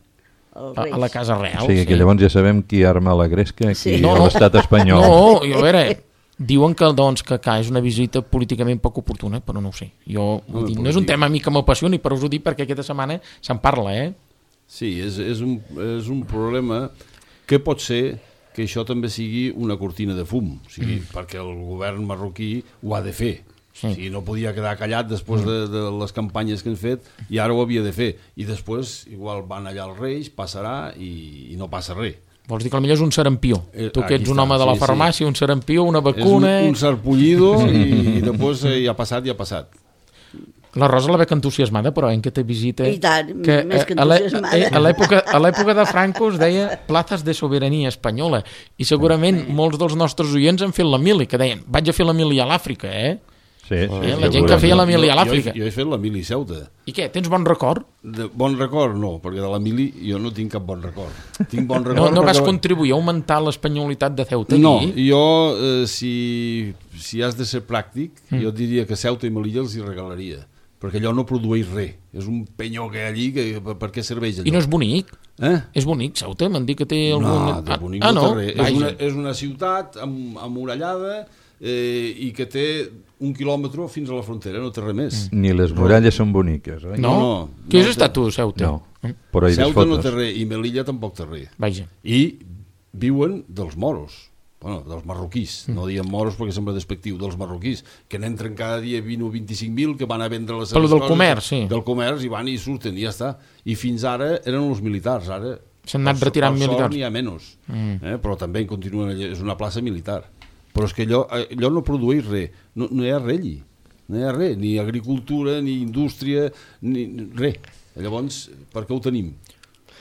a, a la Casa Real. O sigui que sí. llavors ja sabem qui arma la gresca aquí sí. no, a l'estat espanyol. No, i a veure... Diuen que, doncs, que, que és una visita políticament poc oportuna, però no ho sé. Jo, no, dir, no és un tema a mi que m'apassioni, però us ho dic perquè aquesta setmana se'n parla, eh? Sí, és, és, un, és un problema que pot ser que això també sigui una cortina de fum, o sigui, mm. perquè el govern marroquí ho ha de fer. Sí. O sigui, no podia quedar callat després de, de les campanyes que han fet i ara ho havia de fer. I després, igual van allà els Reis, passarà i, i no passa res. Vols dir que potser és un serampió. Eh, tu que ets un home de la sí, farmàcia, sí. un serampió, una vacuna... És un, un sarpullido i, i després eh, ja ha passat, ja ha passat. La Rosa la veig entusiasmada, però en que te visita... I tant, que, més que a l'è- entusiasmada. A l'època a l'època de Franco es deia plazas de soberania espanyola, i segurament molts dels nostres oients han fet la mili, que deien, vaig a fer la mili a l'Àfrica, eh? Sí, sí, Eh, la gent que feia la mili a l'Àfrica. Jo, jo he fet la mili a Ceuta. I què, tens bon record? De bon record, no, perquè de la mili jo no tinc cap bon record. Tinc bon No, record no vas perquè- contribuir a augmentar l'espanyolitat de Ceuta No, aquí? jo, eh, si, si has de ser pràctic, mm. jo diria que Ceuta i Melilla els hi regalaria, perquè allò no produeix res. És un penyó que hi ha allí, que, per, per què serveix allò? I no és bonic? Eh? És bonic, Ceuta? M'han dit que té algun... No, de bonic ah, no, no? té res. És una, és una ciutat amb, amurallada eh, i que té un quilòmetre fins a la frontera, no té res més. Ni les muralles són boniques, oi? No? No, no, Què has no estat té- tu, Ceuta? No, però hi Ceuta no fotos. té res i Melilla tampoc té res. Vaja. I viuen dels moros, bueno, dels marroquís, mm. no diem moros perquè sembla despectiu, dels marroquís, que n'entren cada dia vint o vint-i-cinc mil, que van a vendre les Però seves del coses, comerç, sí. del comerç, i van i surten, i ja està. I fins ara eren els militars, ara S'han anat per so- retirant per sort militars. n'hi ha menys, Mm. eh? Però també continuen allà, és una plaça militar. Però és que allò, allò no produeix res, no, no hi ha res allí, no hi ha res, ni agricultura, ni indústria, ni res. Llavors, per què ho tenim?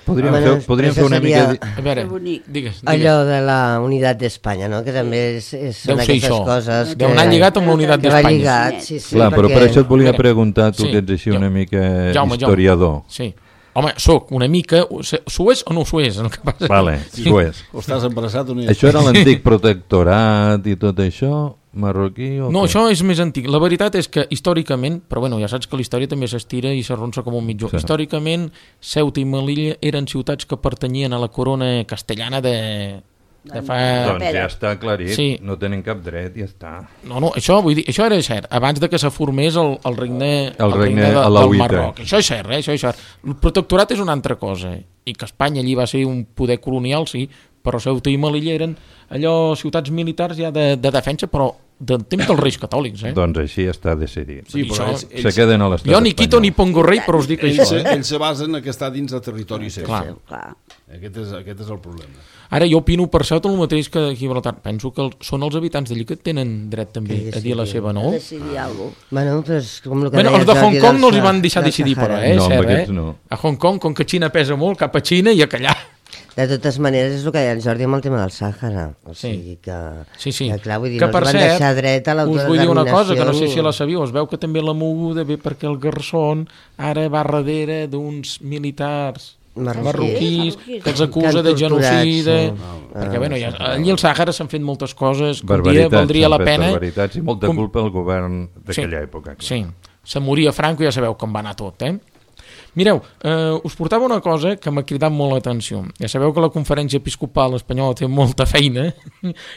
Podríem, Bueno, fer, podríem això fer una seria- mica... A veure, Que bonic. digues, digues. Allò de la unitat d'Espanya, no? Que també és, és, Deu són ser aquestes això. coses Deu que... anar lligat amb la unitat que va d'Espanya. lligat, sí, sí, Clar, però per perquè- això et volia A veure, preguntar, tu sí, que ets així jo- una mica Jaume, historiador. Jaume. Sí. Home, soc una mica... S'ho és o no s'ho és? El que passa... Vale, Sí. ho és. O estàs embarassat o no hi Això era l'antic protectorat i tot això, marroquí o No, què? això és més antic. La veritat és que històricament, però bueno, ja saps que la història també s'estira i s'arronsa com un mitjó. Sí. Històricament, Ceuta i Melilla eren ciutats que pertanyien a la corona castellana de, de fa... Doncs ja està aclarit, Sí. no tenen cap dret, ja està. No, no, això, vull dir, això era cert, abans de que se formés el, el regne, El regne de, del alauita. Marroc. Això és cert, eh? Això és cert. El protectorat és una altra cosa, eh? I que Espanya allí va ser un poder colonial, sí, però Ceuta i Melilla eren allò ciutats militars ja de, de defensa, però del temps dels reis catòlics, eh? Doncs així està decidit. Sí, però Això- ells, Se ells, queden a l'estat Jo ni quito espanyol. ni pongo rei, però us dic ells, això, se, eh? ells se basen en que està dins de territori seu. Clar. Clar. Aquest és, aquest és el problema. Ara jo opino per Ceuta el mateix que a Gibraltar. Penso que el, són els habitants d'allí que tenen dret també Que a dir la decidir. seva, no? A decidir alguna cosa. Bueno, però és com el que Bueno, els deies de del Hong dia Kong del no els hi Sa- van deixar del decidir, però, Sàhara. eh? No, amb Cert, aquests eh? no. A Hong Kong, com que Xina pesa molt, cap a Xina i a callar. De totes maneres, és el que deia el Jordi amb el tema del Sàhara. O Sí. sigui que... Sí, sí. Que, clar, vull dir, que no per ens van cert, deixar dret a us vull dir una cosa, que no sé si l'autodeterminació la sabíeu, es veu que també la moguda ve perquè el Garzón ara va darrere d'uns militars Marroquís. marroquís Marroquís. que els acusa Que han de torturat, genocida, sí. perquè Ah, bueno, ja, sí. allí al Sàhara s'han fet moltes coses que un dia Barbaritats, valdria la s'han fet pena. Barbaritats i molta Com- culpa al govern d'aquella Sí, època. clar. Sí, se moria Franco i ja sabeu com va anar tot, eh? Mireu, eh, us portava una cosa que m'ha cridat molt l'atenció. Ja sabeu que la conferència episcopal espanyola té molta feina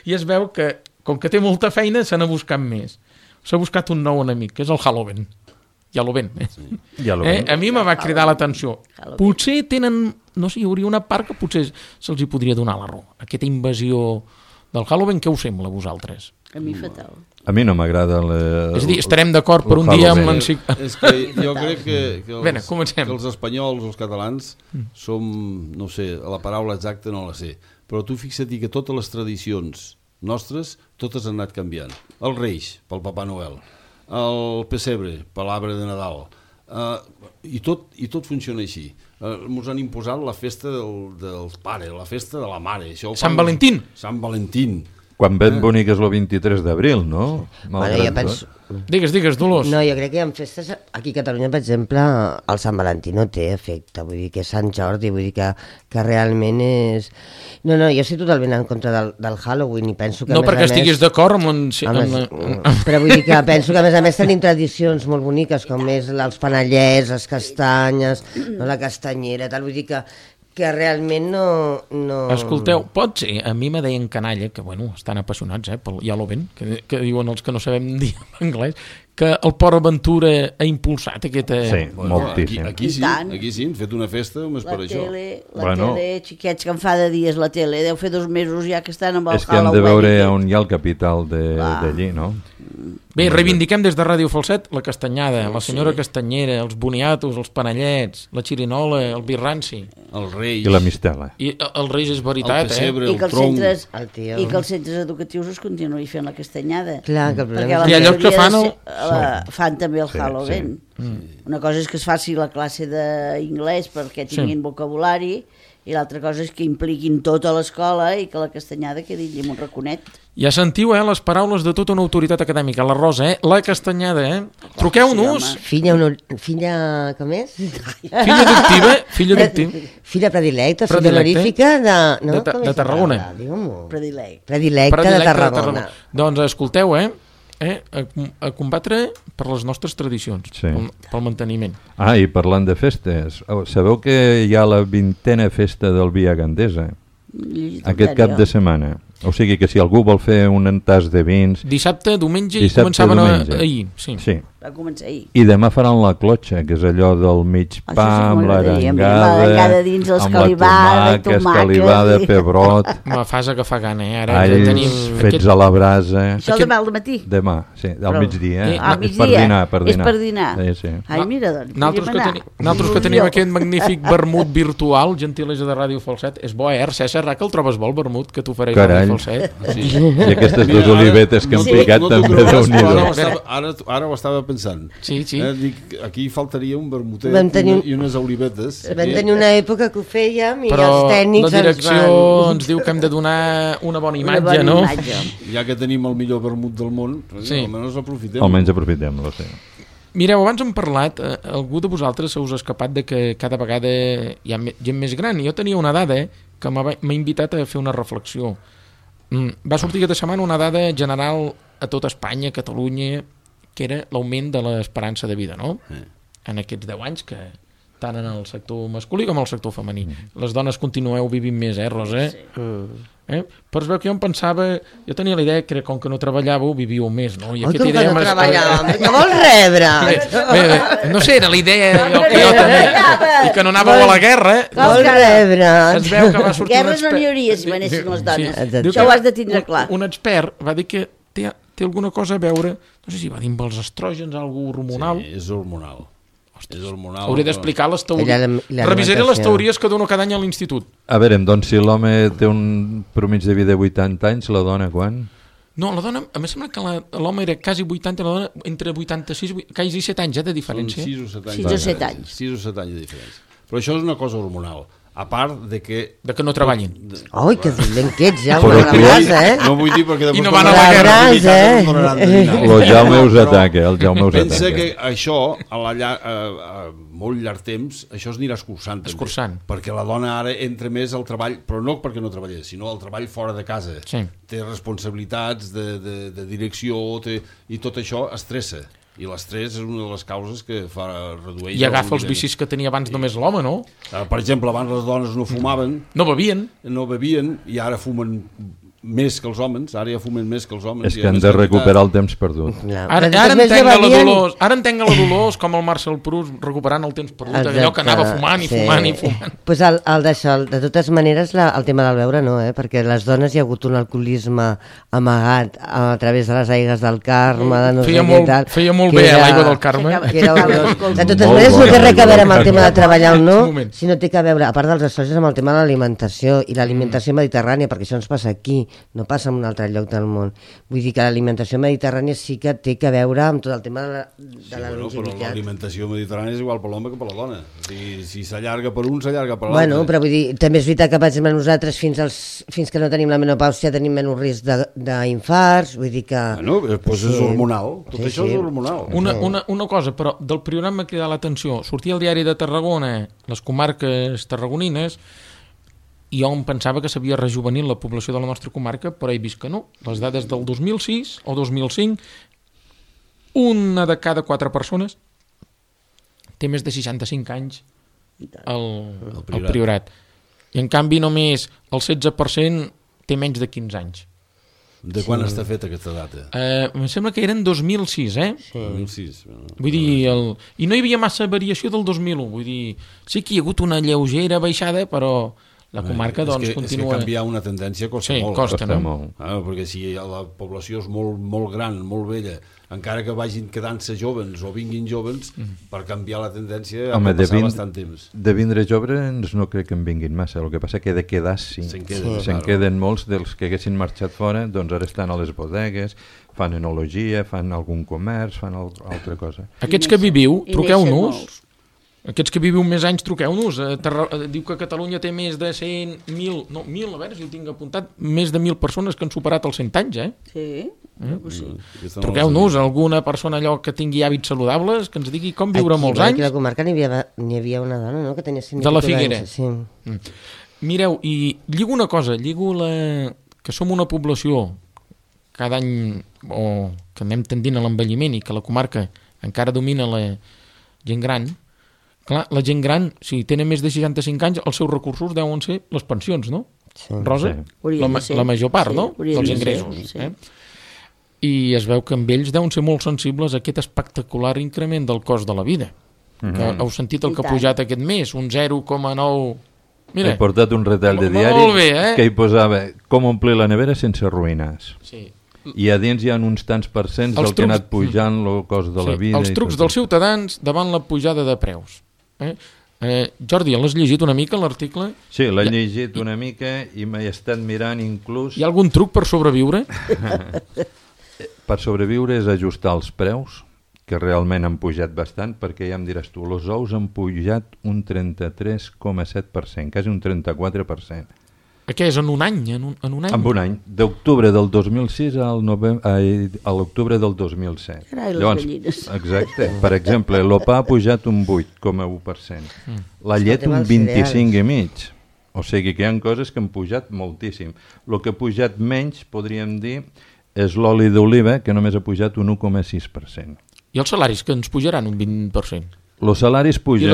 i es veu que, com que té molta feina, se n'ha buscat més. S'ha buscat un nou enemic, que és el Halloween. Ja lo ven, eh? Ja lo eh? ven. A mi me va cridar l'atenció. Halloween. Potser tenen, no sé, hi hauria una part que potser se'ls hi podria donar la raó. Aquesta invasió del Halloween, què us sembla a vosaltres? A mi fatal. A mi no m'agrada... la- És a dir, estarem d'acord per el un dia amb Halloween. l'encicl... És que jo crec que, que, els, Bene, comencem. que els espanyols, els catalans, som, no sé, la paraula exacta no la sé, però tu fixa't que totes les tradicions nostres, totes han anat canviant. Els Reis, pel Papà Noel, el pessebre, per l'arbre de Nadal, uh, i, tot, i tot funciona així. Uh, ens han imposat la festa del, del pare, la festa de la mare. Això ho fan Sant els- Valentín. Sant Valentín. Quan ben bonic és el vint-i-tres d'abril, no? Bueno, Malgrat jo tot. penso... Digues, digues, Dolors. No, jo crec que hi ha festes... Aquí a Catalunya, per exemple, el Sant Valentí no té efecte. Vull dir que és Sant Jordi, vull dir que, que realment és... No, no, jo estic totalment en contra del, del Halloween i penso que... No a més perquè a més, estiguis d'acord amb... En... a més, amb... la- però vull dir que penso que a més a més tenim tradicions molt boniques com és els panellets, les castanyes, no, la castanyera, tal, vull dir que, que realment no... no... Escolteu, pot ser, a mi me deien canalla, que bueno, estan apassionats, eh, pel ja lo ven, que, que diuen els que no sabem dir en anglès, que el Port Aventura ha impulsat aquesta... Sí, Bueno, aquí, moltíssim. aquí sí, I tant. aquí sí, han fet una festa només La per això. tele, la Bueno. tele, xiquets que en fa de dies la tele, deu fer dos mesos ja que estan amb el És que hem de Halloween veure i tot. on hi ha el capital de- Clar. d'allí, no? Bé, reivindiquem des de Ràdio Falset la castanyada, la senyora sí. castanyera, els boniatos, els panellets, la xirinola, el birranci. El rei. I la mistela. I el Reis és veritat, el pessebre, eh? I que, el tronc. centres, el tio. I que els centres educatius es continuï fent la castanyada. Clar, que el Perquè problema la Hi ha llocs que fan el- majoria de- la- fan també el Sí, Halloween. Mm. Una cosa és que es faci la classe d'inglès perquè tinguin Sí. vocabulari i l'altra cosa és que impliquin tota l'escola i que la castanyada quedi allà amb un raconet. Ja sentiu, eh, les paraules de tota una autoritat acadèmica. La Rosa, eh? La castanyada, eh? Truqueu-nos. Sí, Filla, honor... filla, com és? Filla adoptiva, filla adoptiva. Filla predilecta, filla Predilecte. honorífica de... No? De Ta- Com de és Tarragona. la paraula? Digue-m'ho. Predilect. Predilecta, Predilecte de Tarragona. Doncs escolteu, eh? eh? A, a combatre per les nostres tradicions, Sí. pel, pel manteniment. Ah, i parlant de festes, oh, sabeu que hi ha la vintena festa del Via Gandesa? Aquest cap de setmana. O sigui que si algú vol fer un entàs de vins... Dissabte, diumenge Dissabte, i començaven diumenge. A, ahir. Sí. Sí. Va començar ahir. I demà faran la clotxa, que és allò del mig Això pa, sí que amb m'agradaria, amb l'arengada, l'arengada dins, amb la escalivada, tomàquet, tomàquet, escalivada, i- pebrot, Me fas agafar gana, eh? Ara alls tenim fets a la brasa... Això Aquest- demà al matí. Demà, sí, al Però- migdia. Eh, Eh? Ah, no, migdia. Per dinar, per dinar. És per dinar. Sí, sí. Ai, mira, doncs, Nosaltres que, podríem teni anar. nosaltres que Il·lusió. tenim aquest magnífic vermut virtual, gentilesa de Ràdio Falset, és bo, eh, César? Que el trobes bo, el vermut que t'ofereix Carai. Ràdio Falset? Sí. I aquestes Mira, dues ara- olivetes que han no t'ho- picat no t'ho també, creuràs, déu-n'hi-do. però Ara, ho estava- ara, ara ho estava pensant. Sí, sí. Eh, dic, aquí faltaria un vermutet Vam tenir i, un- una, i unes olivetes. Vam Eh, tenir una època que ho fèiem i Però els tècnics la direcció ens van... ens diu que hem de donar una bona Una imatge, bona no? imatge. Ja que tenim el millor vermut del món, Sí. sí. almenys aprofitem. Almenys aprofitem-lo, sí. Mireu, abans hem parlat, eh, algú de vosaltres se us ha escapat de que cada vegada hi ha me- gent més gran. Jo tenia una dada eh, que m'ha m'ha invitat a fer una reflexió. Mm, va sortir aquesta setmana una dada general a tota Espanya, a Catalunya, que era l'augment de l'esperança de vida, no? Eh. En aquests deu anys, que tant en el sector masculí com en el sector femení. Les dones continueu vivint més, eh, Rosa? Sí. Eh? Però es veu que jo em pensava, jo tenia la idea que com que no treballàveu vivíeu més, no? I Oi, aquesta com que idea no m'ha- treballàvem? Que vols rebre? Bé, bé, bé, no sé, era la idea jo, que jo tenia, i que no anàveu a la guerra, eh? Com Vols que- rebre? Es veu que va sortir Guerres un no n'hi expert- hauria si manessin les dones. Exacte. Diu Això que ho has de tindre un- clar. Un expert va dir que té, té alguna cosa a veure, no sé si va dir amb els estrògens, algú hormonal. Sí, és hormonal. És hormonal. Hauré d'explicar les I teories. la- la Revisaré les alimentació. teories que dono cada any a l'institut. A veure, doncs si l'home té un promig de vida de vuitanta anys, la dona quan? No, la dona, a mi sembla que la- l'home era quasi vuitanta, la dona entre vuitanta-sis i quasi set anys eh, de Són diferència. sis o set anys. Sis de o set diferència. anys. sis o set anys de diferència. Però això és una cosa hormonal. A part de que... De que no treballin. Oi, que dolent que ets, ja, Però una tu- brasa, eh? No vull dir perquè... I no després van a la tornaran- guerra. i Eh? tornaran de dinar. El Jaume us Però ataca, el Jaume us Pensa ataca. que això, a, la llar, a, a molt llarg temps, això es anirà escurçant. també. Escurçant. Perquè la dona ara entra més al treball, però no perquè no treballés, sinó al treball fora de casa. Sí. Té responsabilitats de, de, de direcció té, i tot això estressa. I l'estrès és una de les causes que fa reduir... I agafa els vicis que tenia abans només l'home, no? Per exemple, abans les dones no fumaven, No bevien. no bevien, i ara fumen més que els homes, ara ja fumen més que els homes. És i que a han més de quantitat. recuperar el temps perdut. Clar. Ara, Però ara també entenc a la bevien- Dolors, ara entenc a la Dolors com el Marcel Proust recuperant el temps perdut, allò que anava fumant i fumant i fumant. Pues el, el d'això, de totes maneres, la, el tema del beure no, eh? Perquè les dones hi ha hagut un alcoholisme amagat a través de les aigues del Carme, de no Feia sé molt- què tal. feia molt que bé, era- l'aigua del Carme. que era horrorós. De totes Molt maneres, no bona, té res a veure amb el molt tema de bona. treballar o Un no, moment. sinó té que veure, a part dels estrògens, amb el tema de l'alimentació i l'alimentació mediterrània, perquè això ens passa aquí, no passa en un altre lloc del món. Vull dir que l'alimentació mediterrània sí que té que veure amb tot el tema de la, de Sí, la bueno, però longevitat. l'alimentació mediterrània és igual per l'home que per la dona. O sigui, si s'allarga per un, s'allarga per l'altre. Bueno, però vull dir, també és veritat que, per exemple, nosaltres fins, als, fins que no tenim la menopàusia tenim menys risc de- d'infarts, vull dir que... Bueno, doncs és Sí. hormonal. Tot Sí, això sí. és hormonal. Una, una, una cosa, però del programa m'ha cridat l'atenció. Sortia al diari de Tarragona, les comarques tarragonines, i jo em pensava que s'havia rejuvenit la població de la nostra comarca, però he vist que no. Les dades del dos mil sis o dos mil cinc, una de cada quatre persones té més de seixanta-cinc anys al, al priorat. priorat. I en canvi només el setze per cent té menys de quinze anys. De quan sí. està feta aquesta data? Eh, em sembla que eren dos mil sis, eh? dos mil sis. Bueno, Vull dir, el... i no hi havia massa variació del dos mil un, vull dir, sí que hi ha hagut una lleugera baixada, però la comarca doncs és que, continua... És que canviar una tendència costa sí, molt. Costa, costa no? molt. Ah, perquè si la població és molt, molt gran, molt vella, encara que vagin quedant-se joves o vinguin joves, mm. per canviar la tendència ha de passar bastant temps. De vindre joves no crec que en vinguin massa, el que passa que de quedar sí. Se'n queden, sí. claro. queden molts dels que haguessin marxat fora, doncs ara estan a les bodegues, fan enologia, fan algun comerç, fan al, altra cosa. Aquests que viviu, truqueu-nos. Aquests que viviu més anys, truqueu-nos. Diu que Catalunya té més de cent mil, no, mil, a veure si ho tinc apuntat, més de mil persones que han superat els cent anys, eh? Sí. Eh? sí. Truqueu-nos, alguna persona allò que tingui hàbits saludables, que ens digui com viure aquí, molts anys. Aquí a la comarca n'hi havia, n'hi havia una dona, no?, que tenia cent de la Figuera. Anys, sí. Mm. Mireu, i lligo una cosa, lligo la... que som una població cada any, o que anem tendint a l'envelliment i que la comarca encara domina la gent gran. Clar, la gent gran, si tenen més de seixanta-cinc anys, els seus recursos deuen ser les pensions, no? Sí. Rosa? Sí. La, la major part, sí, no? Dels ingressos. Sí. Eh? I es veu que amb ells deuen ser molt sensibles a aquest espectacular increment del cost de la vida. Mm-hmm. Que heu sentit el que ha pujat aquest mes, un zero coma nou... Mira, he portat un retall de diari bé, eh? que hi posava com omplir la nevera sense ruïnes. Sí. I a dins hi ha uns tants percents del trucs... que ha anat pujant el cost de sí, la vida. Els trucs dels ciutadans davant la pujada de preus. Eh? Eh, Jordi, l'has llegit una mica l'article? Sí, l'he llegit una mica i m'he estat mirant inclús... Hi ha algun truc per sobreviure? Per sobreviure és ajustar els preus, que realment han pujat bastant, perquè ja em diràs tu, els ous han pujat un trenta-tres coma set per cent, quasi un trenta-quatre per cent. Què és, en un any? En un, en un any? En un any, d'octubre del dos mil sis al novembre, a l'octubre del dos mil set. Carai, les Llavors, gallines. Exacte. Per exemple, l'opa ha pujat un vuit coma u per cent. Mm. La llet un vint-i-cinc coma cinc per cent. O sigui que hi ha coses que han pujat moltíssim. El que ha pujat menys, podríem dir, és l'oli d'oliva, que només ha pujat un u coma sis per cent. I els salaris, que ens pujaran un vint per cent? Els salaris pugen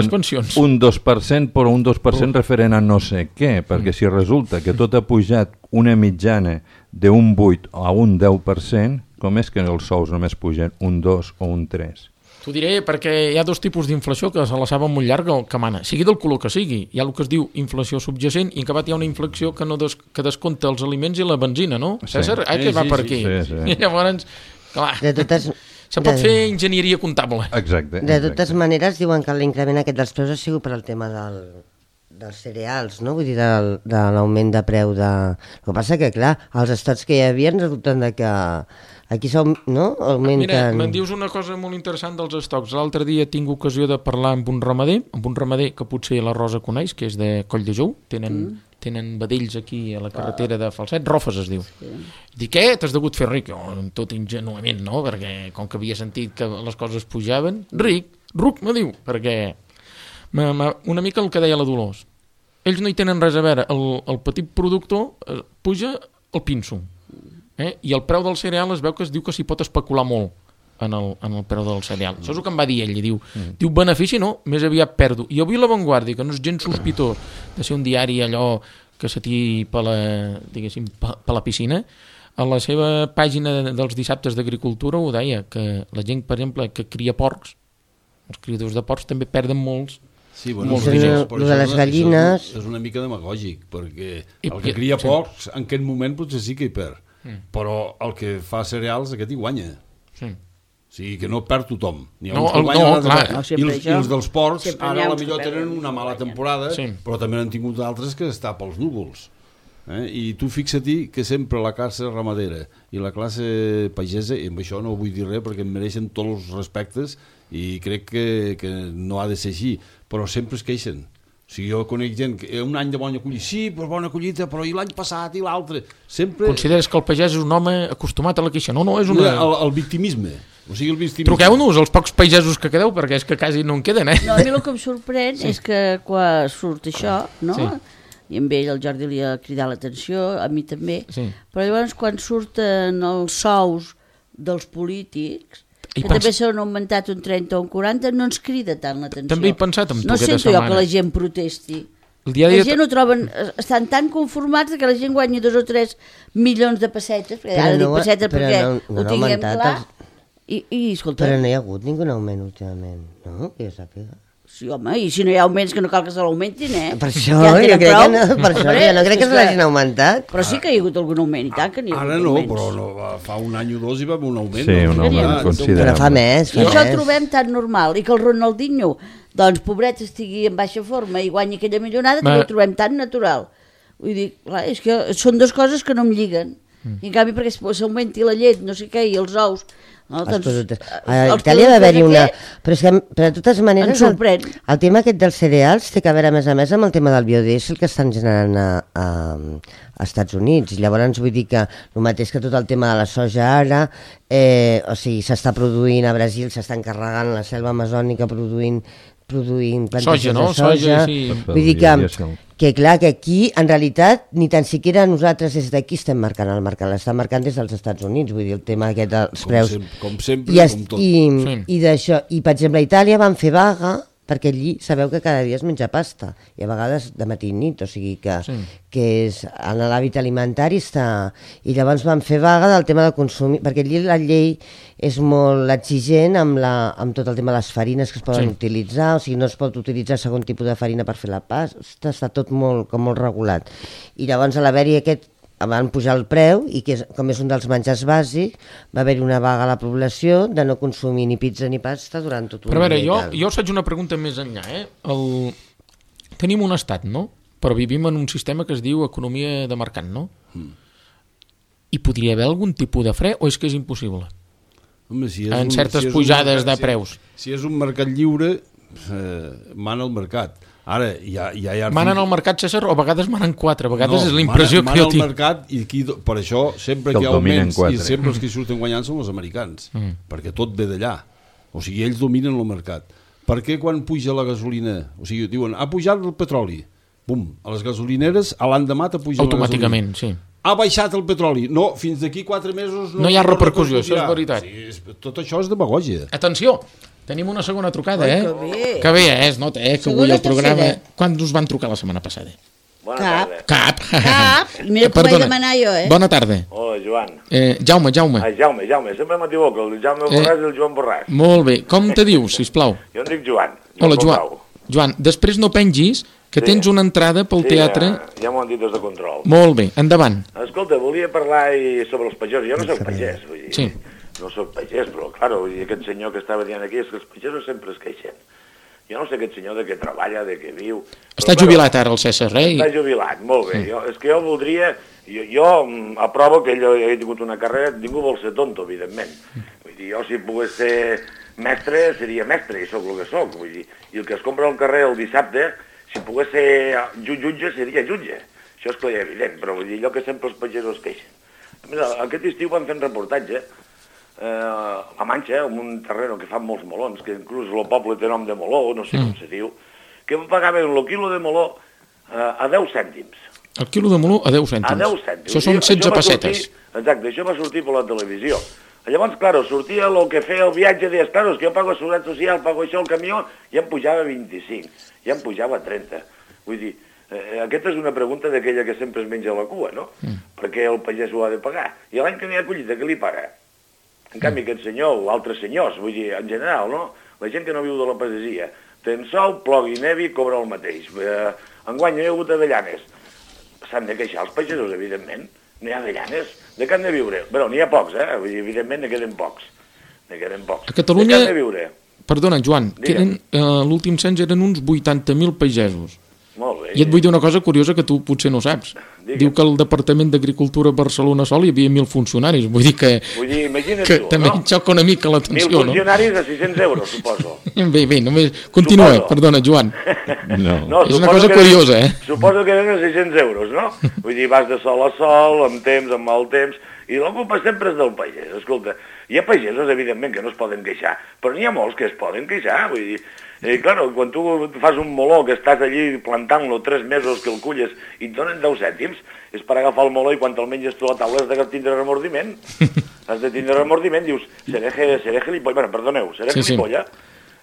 un dos per cent, però un dos per cent oh. referent a no sé què, perquè si resulta que tot ha pujat una mitjana d'un vuit a un deu per cent, com és que els sous només pugen un dos o un tres? T'ho diré perquè hi ha dos tipus d'inflació que se la saben molt llarga que mana, sigui del color que sigui. Hi ha el que es diu inflació subjacent i en acabat hi ha una inflació que, no des, que descompta els aliments i la benzina, no? Sí. César? Ai, que sí, va sí, per aquí. Sí, sí. I llavors, clar... De totes... Se pot de... fer enginyeria comptable. Exacte. De totes exacte. maneres, diuen que l'increment aquest dels preus ha sigut per al tema del, dels cereals, no? Vull dir, del, de l'augment de preu de... El que passa que, clar, els estocs que hi havia resulten de que aquí som, no? Augmenten... Mira, me'n dius una cosa molt interessant dels estocs. L'altre dia tinc ocasió de parlar amb un ramader, amb un ramader que potser la Rosa coneix, que és de Coll de Jou, tenen... Mm. tenen vedells aquí a la carretera de Falset, Rofes es diu. Sí. Dic, què? T'has degut fer ric? Oh, tot ingenuament, no? Perquè com que havia sentit que les coses pujaven, ric, ruc, me diu, perquè ma, ma, una mica el que deia la Dolors. Ells no hi tenen res a veure, el, el petit productor eh, puja el pinso, eh? I el preu del cereal es veu que es diu que s'hi pot especular molt en el, en el preu del cereal. Això és el que em va dir ell, i diu, mm. diu, benefici no, més aviat perdo. I avui La Vanguardia, que no és gens sospitós de ser un diari allò que se tiri per la, diguéssim, per la piscina, a la seva pàgina dels dissabtes d'agricultura ho deia, que la gent, per exemple, que cria porcs, els criadors de porcs també perden molts. Sí, bueno, molts diners. El de les gallines... És una mica demagògic, perquè el que cria porcs, en aquest moment potser sí que hi perd, mm. però el que fa cereals, aquest hi guanya. Sí. O sigui, que no perd tothom. Ni no, el, no, clar. No, I, els, I els dels porcs ara a la millor tenen una mala temporada, sí. però també n'han tingut d'altres que està pels núvols. Eh? I tu fixa-t'hi que sempre la classe ramadera i la classe pagesa, i amb això no vull dir res perquè em mereixen tots els respectes i crec que, que no ha de ser així, però sempre es queixen. O sigui, jo conec gent que un any de bona collita, sí, però bona collita, però i l'any passat i l'altre. Sempre... Consideres que el pagès és un home acostumat a la queixa? No, no, és una... El, el victimisme. O sigui, el victimisme. Truqueu-nos els pocs pagesos que quedeu, perquè és que quasi no en queden, eh? No, a mi el que em sorprèn sí. és que quan surt això, no? Sí. I amb ell el Jordi li ha cridat l'atenció, a mi també, sí. però llavors quan surten els sous dels polítics... que pens... també s'han augmentat un trenta o un quaranta, no ens crida tant l'atenció. També he pensat amb tu no aquesta setmana. No sento jo que la gent protesti. El dia dia... La gent ho troben, estan tan conformats que la gent guanyi dos o tres milions de pessetes, perquè ara no, dic pessetes perquè no, no ho tinguem clar, els... i, i escolta... Però no hi ha hagut ningú augment últimament, no? Que jo sàpiga. Sí, home, i si no hi ha augments, que no cal que se l'augmentin, eh? Per això, ja jo crec prou. que no, per això, jo no crec que se l'hagin augmentat. Però sí que hi ha hagut algun augment, i tant que n'hi ha hagut Ara no, augments. però no, fa un any o dos hi va haver un augment. Sí, no? un augment Ah, considerable. Però fa més, fa I això ho més. trobem tan normal, i que el Ronaldinho, doncs, pobret, estigui en baixa forma i guanyi aquella millonada, també ho trobem tan natural. Vull dir, clar, és que són dues coses que no em lliguen. I en canvi, perquè s'augmenti la llet, no sé què, i els ous... No, Els doncs, productes. A els Itàlia va haver-hi una... aquest Però és que, però de totes maneres, ens sorprèn. el, el tema aquest dels cereals té que veure, a més a més, amb el tema del biodiesel que estan generant a, a, a Estats Units. Llavors, vull dir que el mateix que tot el tema de la soja ara, eh, o sigui, s'està produint a Brasil, s'està encarregant la selva amazònica produint produint plantacions soja, no? de soja. Soja, sí. Vull dir que, que clar, que aquí, en realitat, ni tan siquiera nosaltres des d'aquí estem marcant el mercat, l'estan marcant des dels Estats Units, vull dir, el tema aquest dels Com preus. sempre, com sempre, I, es, com tot. i, Sí. i d'això, i per exemple a Itàlia van fer vaga perquè allí sabeu que cada dia es menja pasta i a vegades de matí i nit, o sigui que, Sí. que és, en l'hàbit alimentari està... I llavors van fer vaga del tema de consumir, perquè allí la llei és molt exigent amb, la, amb tot el tema de les farines que es poden Sí. utilitzar, o sigui, no es pot utilitzar segon tipus de farina per fer la pasta, està tot molt, com molt regulat. I llavors a l'haver-hi aquest van pujar el preu i que és, com és un dels menjars bàsics, va haver-hi una vaga a la població de no consumir ni pizza ni pasta durant tot un Però a veure, dia i jo, tal. jo us faig una pregunta més enllà. Eh? El... Tenim un estat, no? Però vivim en un sistema que es diu economia de mercat, no? Mm. Hi podria haver algun tipus de fre o és que és impossible? Home, si és En un, certes si és pujades un mercat, de preus. Si, si és un mercat lliure, eh, mana el mercat. Ara, ja, ja hi ha... Manen al mercat, César, o a vegades manen quatre, a vegades no, és la impressió mana, que jo mana tinc. el mercat i qui, per això sempre Que que hi el ha dominen augments quatre. i sempre els que hi surten guanyant són els americans, mm. perquè tot ve d'allà. O sigui, ells dominen el mercat. Per què quan puja la gasolina, o sigui, diuen, ha pujat el petroli, bum, a les gasolineres a l'endemà t'ha pujat Automàticament, sí. Ha baixat el petroli. No, fins d'aquí quatre mesos no, No hi ha repercussió, això és veritat. Sí, és, tot això és demagògia. Atenció, tenim una segona trucada, Ai, eh? que bé. Que bé, eh? Es nota, eh? Que Segona avui el programa... tercera. Quan us van trucar la setmana passada? Bona Cap. tarda. Cap. Cap. I mira com vaig demanar jo, eh? Bona tarda. Hola, Joan. Eh, Jaume, Jaume. Ah, Jaume, Jaume, sempre m'equivoco, el Jaume Borràs i el Joan Borràs. Molt bé. Com te dius, sisplau? Jo em dic Joan. Hola, Joan. Joan. Joan, després no pengis, que Sí. tens una entrada pel Sí, teatre... ja, ja m'ho han dit des de control. Molt bé, endavant. Escolta, volia parlar i sobre els pagesos. Jo no soc pagès, vull dir. Sí. No soc pagès, però, clar, vull dir, aquest senyor que estava dient aquí és que els pagesos sempre es queixen. Jo no sé aquest senyor de què treballa, de què viu... Està però, jubilat ara el César, eh? Està jubilat, molt bé. Jo, és que jo voldria... Jo, jo mm, aprovo que ell he tingut una carrera, ningú vol ser tonto, evidentment. Vull dir, jo si pogués ser mestre, seria mestre, i sóc el que sóc. Vull dir, i el que es compra al carrer el dissabte, si pogués ser jutge, seria jutge. Això és clar i evident, però vull dir, allò que sempre els pagesos queixen. Mira, aquest estiu van fent reportatge eh, a la Manxa, en un terreno que fan molts melons, que inclús el poble té nom de meló, no sé com se diu, que pagaven el quilo de meló eh, a deu cèntims. El quilo de meló a deu cèntims. A deu cèntims. Això són setze va pessetes. Sortir, exacte, això va sortir per la televisió. Llavors, claro, sortia el que feia el viatge, deies, claro, és que jo pago seguretat social, pago això al camió, i em pujava vint-i-cinc, i em pujava trenta. Vull dir, eh, aquesta és una pregunta d'aquella que sempre es menja la cua, no? Mm. Perquè el pagès ho ha de pagar. I l'any que n'hi ha collita, què li paga? En canvi, aquest senyor, o altres senyors, vull dir, en general, no? La gent que no viu de la pagesia, ten sol, plogui, nevi, cobra el mateix. Eh, enguany no hi ha hagut avellanes. S'han de queixar els pagesos, evidentment. No hi ha avellanes. De què han de viure? Bé, n'hi ha pocs, eh? Vull dir, evidentment, ne queden pocs. Ne queden pocs. A Catalunya... De què han de viure? Perdona, Joan, Digue'm. queden, eh, l'últim cens eren uns vuitanta mil pagesos. Molt bé. I et vull dir una cosa curiosa que tu potser no saps. Digue'm. Diu que al Departament d'Agricultura a Barcelona sol hi havia mil funcionaris. Vull dir que, Vull dir, imagina't que tu, també no? et xoca una mica Mil l'atenció, no? funcionaris a sis-cents euros, suposo. Bé, bé, només... Continua, Suposo. perdona, Joan. No. No, És una suposo cosa que curiosa, eh? Suposo que eren a sis-cents euros, no? Vull dir, vas de sol a sol, amb temps, amb mal temps, i la culpa sempre és del pagès. Escolta, hi ha pagesos, evidentment, que no es poden queixar, però n'hi ha molts que es poden queixar, vull dir... I, clar, quan tu fas un meló que estàs allí plantant-lo tres mesos que el culles i et donen deu cèntims, és per agafar el meló i quan te'l menges tu a la taula has de tindre remordiment. Has de tindre remordiment, dius, seré, seré gilipolla, bueno, perdoneu, seré Sí, sí. gilipolla.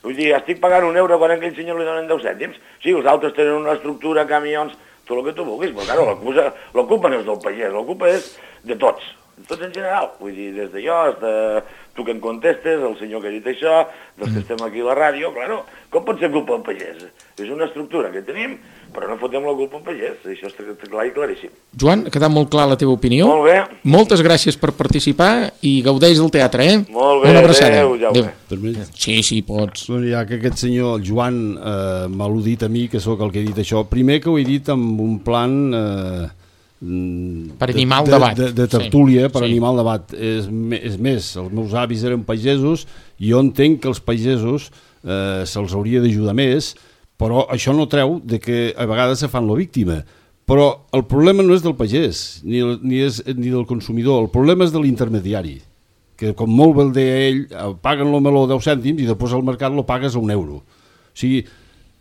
Vull dir, estic pagant un euro quan a aquell senyor li donen deu cèntims. Sí, els altres tenen una estructura, camions, tot el que tu vulguis, però claro, la culpa, la culpa no és del pagès, la culpa és de tots. tots en general, vull dir, des de jo, de tu que em contestes, el senyor que ha dit això, dels que estem aquí a la ràdio, claro, com pot ser culpa del pagès? És una estructura que tenim, però no fotem la culpa al pagès, això està clar i claríssim. Joan, ha quedat molt clar la teva opinió. Molt bé. Moltes gràcies per participar i gaudeix del teatre, eh? Molt bé, una abraçada. adéu, Jaume. Sí, sí, pots. Bueno, ja que aquest senyor, el Joan, eh, m'ha al·ludit a mi, que sóc el que he dit això, primer que ho he dit amb un plan... Eh, per animar el de, debat. De, de, de tertúlia, sí, per sí. animar el debat. És, és més, els meus avis eren pagesos i jo entenc que els pagesos eh, se'ls hauria d'ajudar més, però això no treu de que a vegades se fan la víctima. Però el problema no és del pagès, ni, ni, és, ni del consumidor, el problema és de l'intermediari, que com molt bé el deia ell, paguen el meló deu cèntims i després al mercat lo pagues a un euro. O sigui,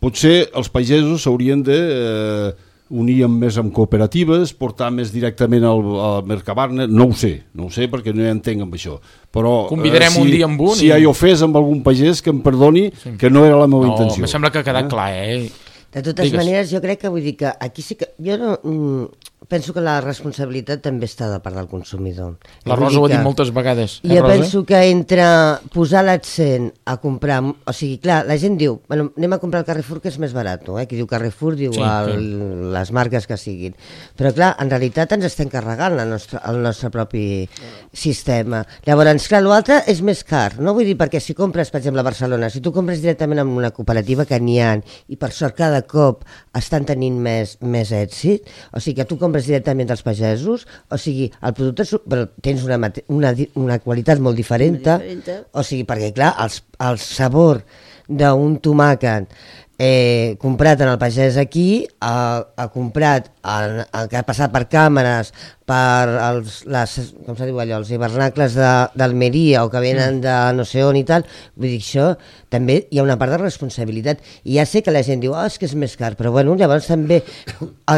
potser els pagesos s'haurien de... Eh, unir més amb cooperatives, portar més directament al, al Mercabarna, no ho sé, no ho sé perquè no hi entenc amb això. Però convidarem eh, si, un dia amb un. Si i... hi ha ofès amb algun pagès, que em perdoni, sí. que no era la meva no, intenció. No, em sembla que ha quedat eh? clar, eh? De totes Digues. maneres, jo crec que vull dir que aquí sí que... Jo no, mm, penso que la responsabilitat també està de part del consumidor. La Rosa ho ha dit moltes vegades. Eh, jo Rosa? penso que entre posar l'accent a comprar... O sigui, clar, la gent diu, bueno, anem a comprar al Carrefour que és més barat, eh? Qui diu Carrefour diu sí, el, sí. les marques que siguin. Però clar, en realitat ens estem carregant la nostra, el nostre propi sistema. Llavors, clar, l'altre és més car, no? Vull dir, perquè si compres, per exemple, a Barcelona, si tu compres directament amb una cooperativa que n'hi ha, i per sort cada cop estan tenint més, més èxit, o sigui que tu compres directament dels pagesos, o sigui, el producte però tens una, una, una qualitat molt diferent, o sigui, perquè clar, el, el sabor d'un tomàquet eh, comprat en el pagès aquí, ha, ha comprat, el, el que ha passat per càmeres, per els, les, com se diu allò, els hivernacles d'Almeria o que venen de no sé on i tal, vull dir, això també hi ha una part de responsabilitat. I ja sé que la gent diu, oh, és que és més car, però bueno, llavors també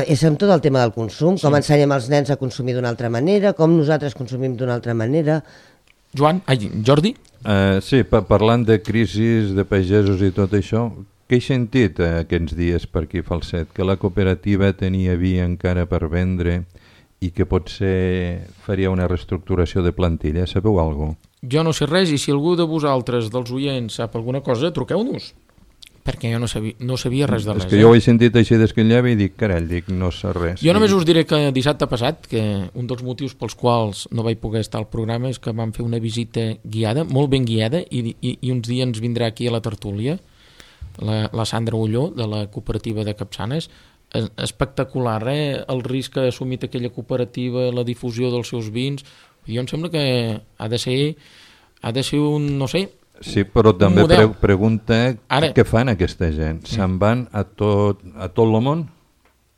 és amb tot el tema del consum, com sí. ensenyem els nens a consumir d'una altra manera, com nosaltres consumim d'una altra manera. Joan, ai, Jordi? Uh, sí, pa parlant de crisis, de pagesos i tot això, què he sentit eh, aquests dies per aquí Falset? Que la cooperativa tenia vi encara per vendre i que potser faria una reestructuració de plantilla. Sabeu alguna cosa? Jo no sé res, i si algú de vosaltres, dels oients, sap alguna cosa, truqueu-nos. Perquè jo no sabia, no sabia res de res. És que eh? jo ho he sentit així d'esquillava i dic, carai, dic, no sé res. Jo només us diré que dissabte passat, que un dels motius pels quals no vaig poder estar al programa és que vam fer una visita guiada, molt ben guiada, i, i, i uns dies ens vindrà aquí a la tertúlia La, la Sandra Ulló, de la cooperativa de Capçanes. Espectacular, eh? El risc que ha assumit aquella cooperativa, la difusió dels seus vins. Jo em sembla que ha de ser, ha de ser un, no sé... Sí, però també pre pregunta Ara... què fan aquesta gent. Sí. Se'n van a tot, a tot el món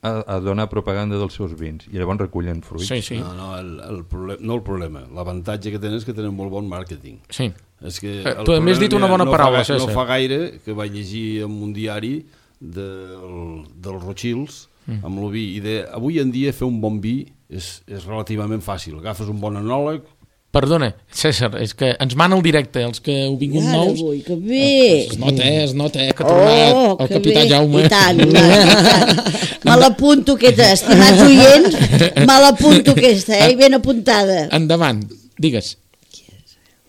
a, a donar propaganda dels seus vins i llavors recullen fruits. Sí, sí. No, no, el, el problema, no el problema. L'avantatge que tenen és que tenen molt bon màrqueting. Sí. És que eh, tu a més dit una bona no paraula, fa, no fa gaire que vaig llegir en un diari del, dels Rothschilds mm. amb el vi, i de, avui en dia fer un bon vi és, és relativament fàcil. Agafes un bon enòleg. Perdona, César, és que ens mana el directe, els que heu vingut ja, nous. Avui, que bé! Es nota, eh, es nota, eh, que ha tornat oh, el capità bé. Jaume. I tant, i tant. Me l'apunto aquesta, estimats oients, me l'apunto aquesta, eh, ben apuntada. Endavant, digues.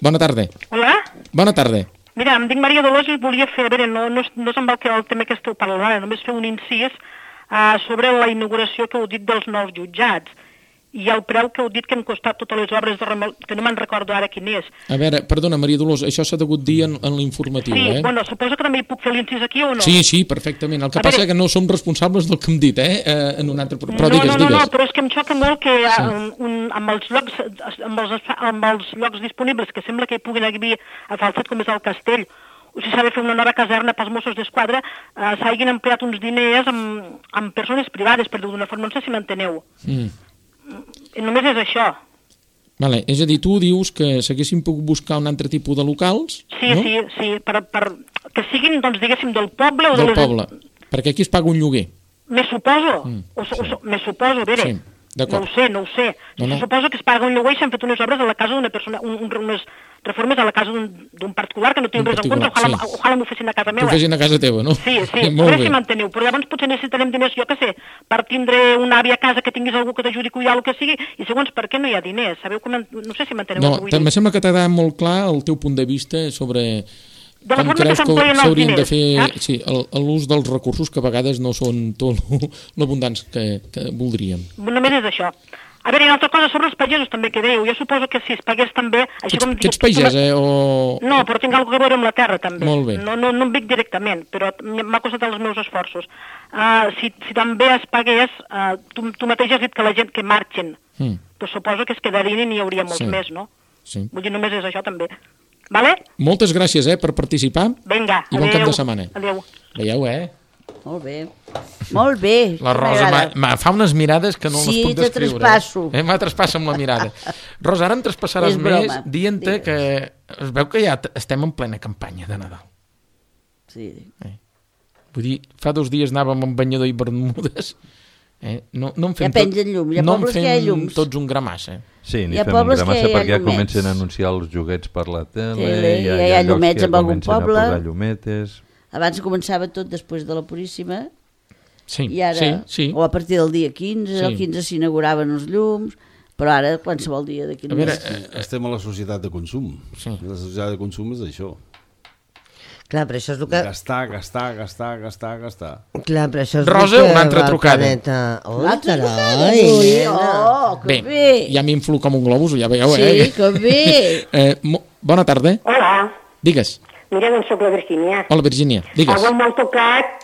Bona tarda. Hola. Bona tarda. Mira, em dic Maria Dolors i volia fer, a veure, no, no, no és amb el, que, el tema que esteu parlant ara, només fer un incís uh, sobre la inauguració que heu dit dels nous jutjats i el preu que heu dit que han costat totes les obres de remol... que no me'n recordo ara quin és. A veure, perdona, Maria Dolors, això s'ha degut dir en, en l'informatiu, sí, eh? Sí, bueno, suposo que també hi puc fer l'incís aquí o no? Sí, sí, perfectament. El que a passa és que no som responsables del que hem dit, eh? eh en un altre... Però no, digues, no, no, digues. no, però és que em xoca molt que sí. un, un, amb, els llocs, amb, els, amb els llocs disponibles, que sembla que hi puguin haver a Falset, com és el Castell, o si s'ha de fer una nova caserna pels Mossos d'Esquadra, eh, s'hagin empleat uns diners amb, amb persones privades, per dir d'una forma, no sé si m'enteneu. Mm. Només és això. Vale, és a dir, tu dius que s'haguessin pogut buscar un altre tipus de locals, sí, no? Sí, sí, per, per, que siguin, doncs, diguéssim, del poble o del de les... poble, perquè aquí es paga un lloguer. Me suposo, mm, o, sí. o, me suposo, a veure, sí. No ho sé, no ho sé. No, no. Se suposa que es paga un lloguer i s'han fet unes obres a la casa d'una persona, un, un, unes reformes a la casa d'un particular que no tinc res en compte, ojalà, sí. ojalà m'ho fessin a casa meva. T'ho fessin a casa teva, no? Sí, sí, a veure si m'enteneu, però llavors potser necessitarem diners, jo què sé, per tindre una àvia a casa que tinguis algú que t'ajudi a cuidar el que sigui, i segons per què no hi ha diners, sabeu que no sé si m'enteneu no, el que vull dir. No, sembla que t'ha quedat molt clar el teu punt de vista sobre de com creus que s'haurien de fer sí, l'ús dels recursos que a vegades no són tot l'abundants que, que voldríem. Només és això. A veure, hi ha una altra cosa sobre els pagesos també que dèieu. Jo suposo que si es pagués també... Així com, que ets pagès, eh? O... No, però tinc alguna cosa a veure amb la terra també. Molt bé. No, no, no em dic directament, però m'ha costat els meus esforços. Uh, si, si també es pagués, uh, tu, tu mateix has dit que la gent que marxen, mm. doncs suposo que es quedarien i n'hi hauria molts sí. més, no? Sí. Vull dir, només és això també. Vale? Moltes gràcies, eh, per participar. Vinga, i bon cap de setmana. Adéu. Veieu, eh? Molt bé. Molt bé. La Rosa fa unes mirades que no sí, les puc descriure. Sí, te traspasso. Eh? M'ha traspassa amb la mirada. Rosa, ara em traspassaràs més dient-te que es veu que ja estem en plena campanya de Nadal. Sí. Eh? Vull dir, fa dos dies anàvem amb banyador i bermudes. Eh? No, no en fem ja pengen llum, hi ha no pobles que hi ha llums. Tots un gramassa. Sí, n'hi fem un gramassa perquè ja comencen a anunciar els joguets per la tele, tele ja, ja hi ha llumets en algun poble. A posar llumetes. Abans començava tot després de la Puríssima, sí, i ara, sí, sí. o a partir del dia quinze, sí. el quinze s'inauguraven els llums, però ara qualsevol dia de quinze... Veure, eh, estem a la societat de consum. Sí. La societat de consum és això. Clar, però això és el que... Gastar, gastar, gastar, gastar, gastar. Clar, però això és Rosa, el que una altra trucada. Oh, carai! Oh, que bé! Bé, ja m'inflo com un globus, ja veieu, sí, eh? Sí, que bé! eh, bona tarda. Hola. Digues. Mira, doncs soc la Virgínia. Hola, Virgínia, digues. Avui m'ha tocat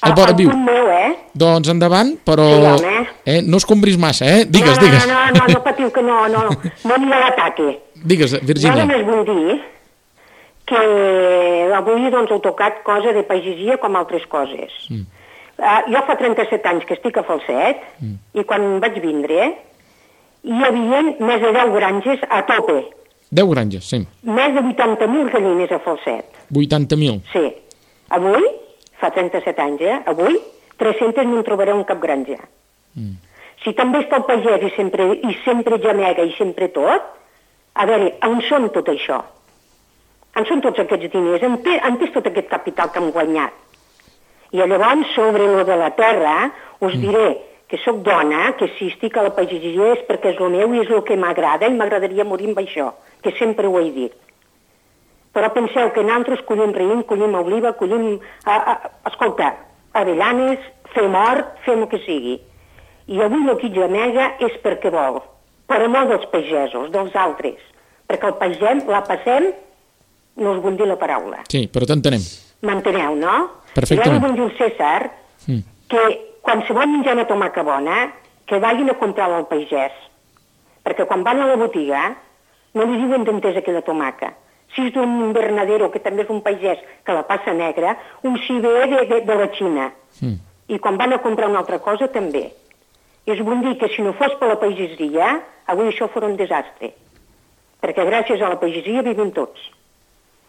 el, el punt meu, eh? Doncs endavant, però sí, eh, no escombris massa, eh? Digues, no, no, digues. No, no, no, no patiu que no, no, no n'hi ha l'ataque. Digues, Virgínia. Jo només vull dir que avui doncs heu tocat cosa de pagesia com altres coses. Mm. Uh, jo fa trenta-set anys que estic a Falset mm. i quan vaig vindre hi havia més de deu granges a tope. deu granges, sí. Més de vuitanta mil gallines a Falset. vuitanta mil? Sí. Avui, fa trenta-set anys, eh? Avui, tres-centes no en trobareu en cap granja. Mm. Si també està el pagès i sempre, i sempre gemega i sempre tot, a veure, on són tot això? On són tots aquests diners? On, té, on és tot aquest capital que hem guanyat? I llavors, sobre lo de la terra, us mm. diré que sóc dona, que si estic a la pagesia és perquè és el meu i és el que m'agrada i m'agradaria morir amb això, que sempre ho he dit. Però penseu que nosaltres collim raïm, collim oliva, collim... A, a, escolta, avellanes, fem hort, fem el que sigui. I avui el que gemega és perquè vol, però no dels pagesos, dels altres. Perquè el pagès la passem, no us vull dir la paraula. Sí, però t'entenem. M'enteneu, no? Perfectament. I ara vull dir al César mm. que quan se vol menjar una tomaca bona, que vagin a comprar-la al pagès. Perquè quan van a la botiga, no li diuen d'entesa aquella tomaca. Si és d'un invernadero, que també és un pagès, que la passa negra, un si ve de, de, de la Xina. Mm. I quan van a comprar una altra cosa, també. I us vull dir que si no fos per la pagesia, avui això fos un desastre. Perquè gràcies a la pagesia vivim tots.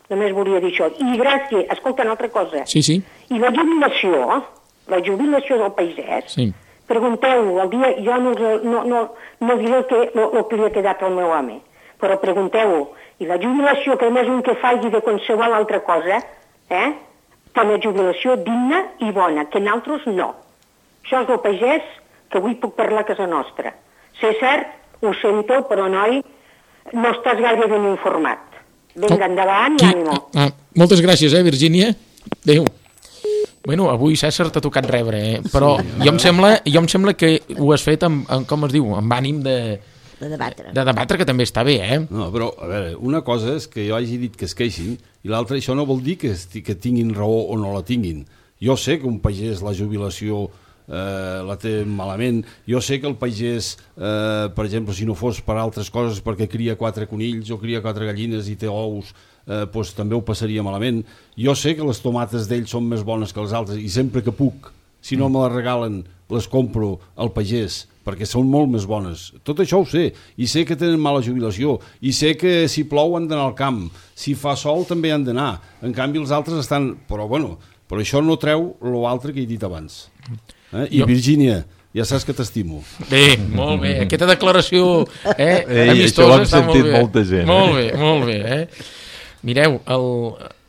Només volia dir això. I gràcies, escolta, una altra cosa. Sí, sí. I la jubilació, la jubilació del pagès, sí. Pregunteu, el dia, jo no, no, no, no diré el que, el, el que li ha quedat al meu home, però pregunteu-ho. I la jubilació, que només un que faci de qualsevol altra cosa, eh, té una jubilació digna i bona, que nosaltres no. Això és el pagès que avui puc parlar a casa nostra. César, ho sento, però noi, no estàs gaire ben informat. Vinga, oh, endavant i ànimo. Ah, moltes gràcies, eh, Virgínia. Adéu. Bueno, avui César t'ha tocat rebre, eh? Però sí, jo, em sembla, jo em sembla que ho has fet amb, amb com es diu, amb ànim de... De debatre. De debatre, que també està bé, eh? No, però, a veure, una cosa és que jo hagi dit que es queixin i l'altra, això no vol dir que, que tinguin raó o no la tinguin. Jo sé que un pagès la jubilació eh, la té malament. Jo sé que el pagès, eh, per exemple, si no fos per altres coses, perquè cria quatre conills o cria quatre gallines i té ous, eh, doncs també ho passaria malament. Jo sé que les tomates d'ell són més bones que les altres i sempre que puc, si no me les regalen, les compro al pagès, perquè són molt més bones. Tot això ho sé. I sé que tenen mala jubilació. I sé que si plou han d'anar al camp. Si fa sol també han d'anar. En canvi els altres estan... Però bueno, però això no treu l'altre que he dit abans. Eh? I jo... Virgínia, ja saps que t'estimo. Bé, molt bé. Aquesta declaració eh, Ei, amistosa això l'ha sentit molta gent. Molt bé, molt bé. Eh? Mireu, el...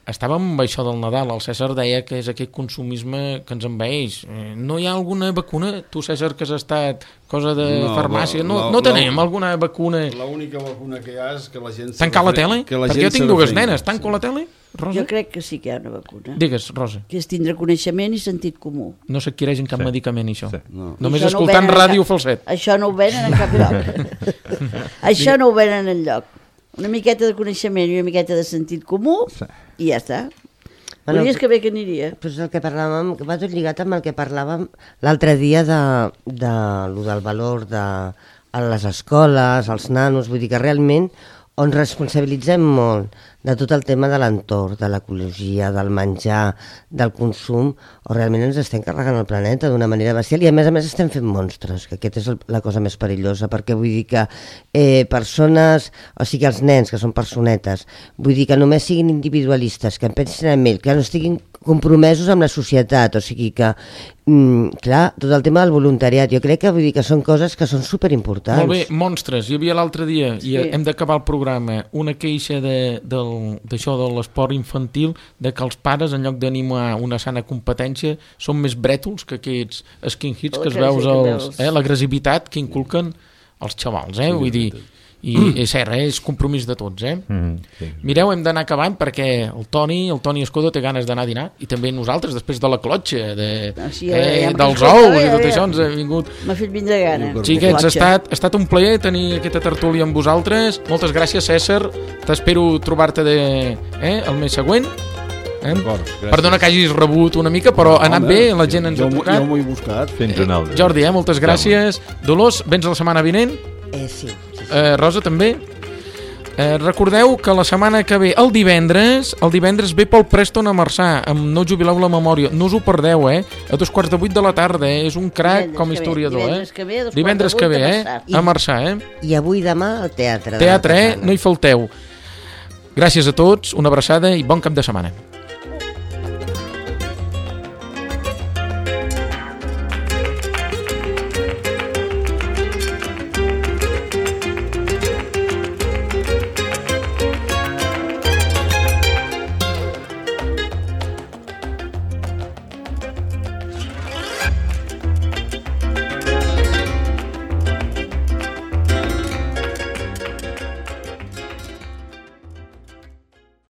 estàvem amb això del Nadal, el César deia que és aquest consumisme que ens envaeix. No hi ha alguna vacuna? Tu, César, que has estat cosa de no, farmàcia, no, la, no tenim la, alguna vacuna? L'única vacuna que hi ha és que la gent... Tancar la tele? Que la Perquè jo tinc dues nenes, tanco sí. la tele? Rosa? Jo crec que sí que hi ha una vacuna. Digues, Rosa. Que és tindre coneixement i sentit comú. No s'adquireix en cap sí. medicament, això. Sí. No. Només això escoltant no ràdio cap... falset. Això no ho venen en cap lloc. Això no ho venen en lloc. Una miqueta de coneixement i una miqueta de sentit comú sí. i ja està. Bueno, Volies que bé que aniria. Però és el que parlàvem, que va tot lligat amb el que parlàvem l'altre dia de, de, de, del valor de a les escoles, als nanos, vull dir que realment on responsabilitzem molt de tot el tema de l'entorn, de l'ecologia, del menjar, del consum, o realment ens estem carregant el planeta d'una manera bestial i a més a més estem fent monstres, que aquesta és el, la cosa més perillosa, perquè vull dir que eh, persones, o sigui els nens que són personetes, vull dir que només siguin individualistes, que en pensin en ell, que no estiguin compromesos amb la societat, o sigui que, mm, clar, tot el tema del voluntariat, jo crec que vull dir que són coses que són superimportants. Molt bé, monstres, hi havia l'altre dia, sí. i hem d'acabar el programa, una queixa de, del, d'això de l'esport infantil, de que els pares, en lloc d'animar una sana competència, són més brètols que aquests skin hits que es veus, els, eh, l'agressivitat que inculquen els xavals, eh, sí, vull dir... I mm. és cert, eh? És compromís de tots, eh? Mm, sí. Mireu, hem d'anar acabant perquè el Toni, el Toni Escodo té ganes d'anar a dinar i també nosaltres, després de la clotxa de, sí, eh, ja dels ous i tot això ens ha vingut. M'ha fet vindre gana. Xiquets, ha estat, ha estat un plaer tenir aquesta tertúlia amb vosaltres. Moltes gràcies, César. T'espero trobar-te de, eh, el mes següent. Eh? Perdona que hagis rebut una mica, però ha anat bé, la gent ens jo, ha tocat. Jo m'ho he buscat. Fins un altre. Jordi, eh, moltes gràcies. Dolors, vens la setmana vinent? Eh, sí. Eh, Rosa, també? Eh, recordeu que la setmana que ve, el divendres, el divendres ve Paul Preston a Marçà, amb No jubileu la memòria. No us ho perdeu, eh? A dos quarts de vuit de la tarda, eh? És un crac divendres com a historiador, ve, divendres eh? Que ve, divendres que ve, eh? A Marçà, eh? I avui demà al teatre. Teatre, eh? No hi falteu. Gràcies a tots, una abraçada i bon cap de setmana.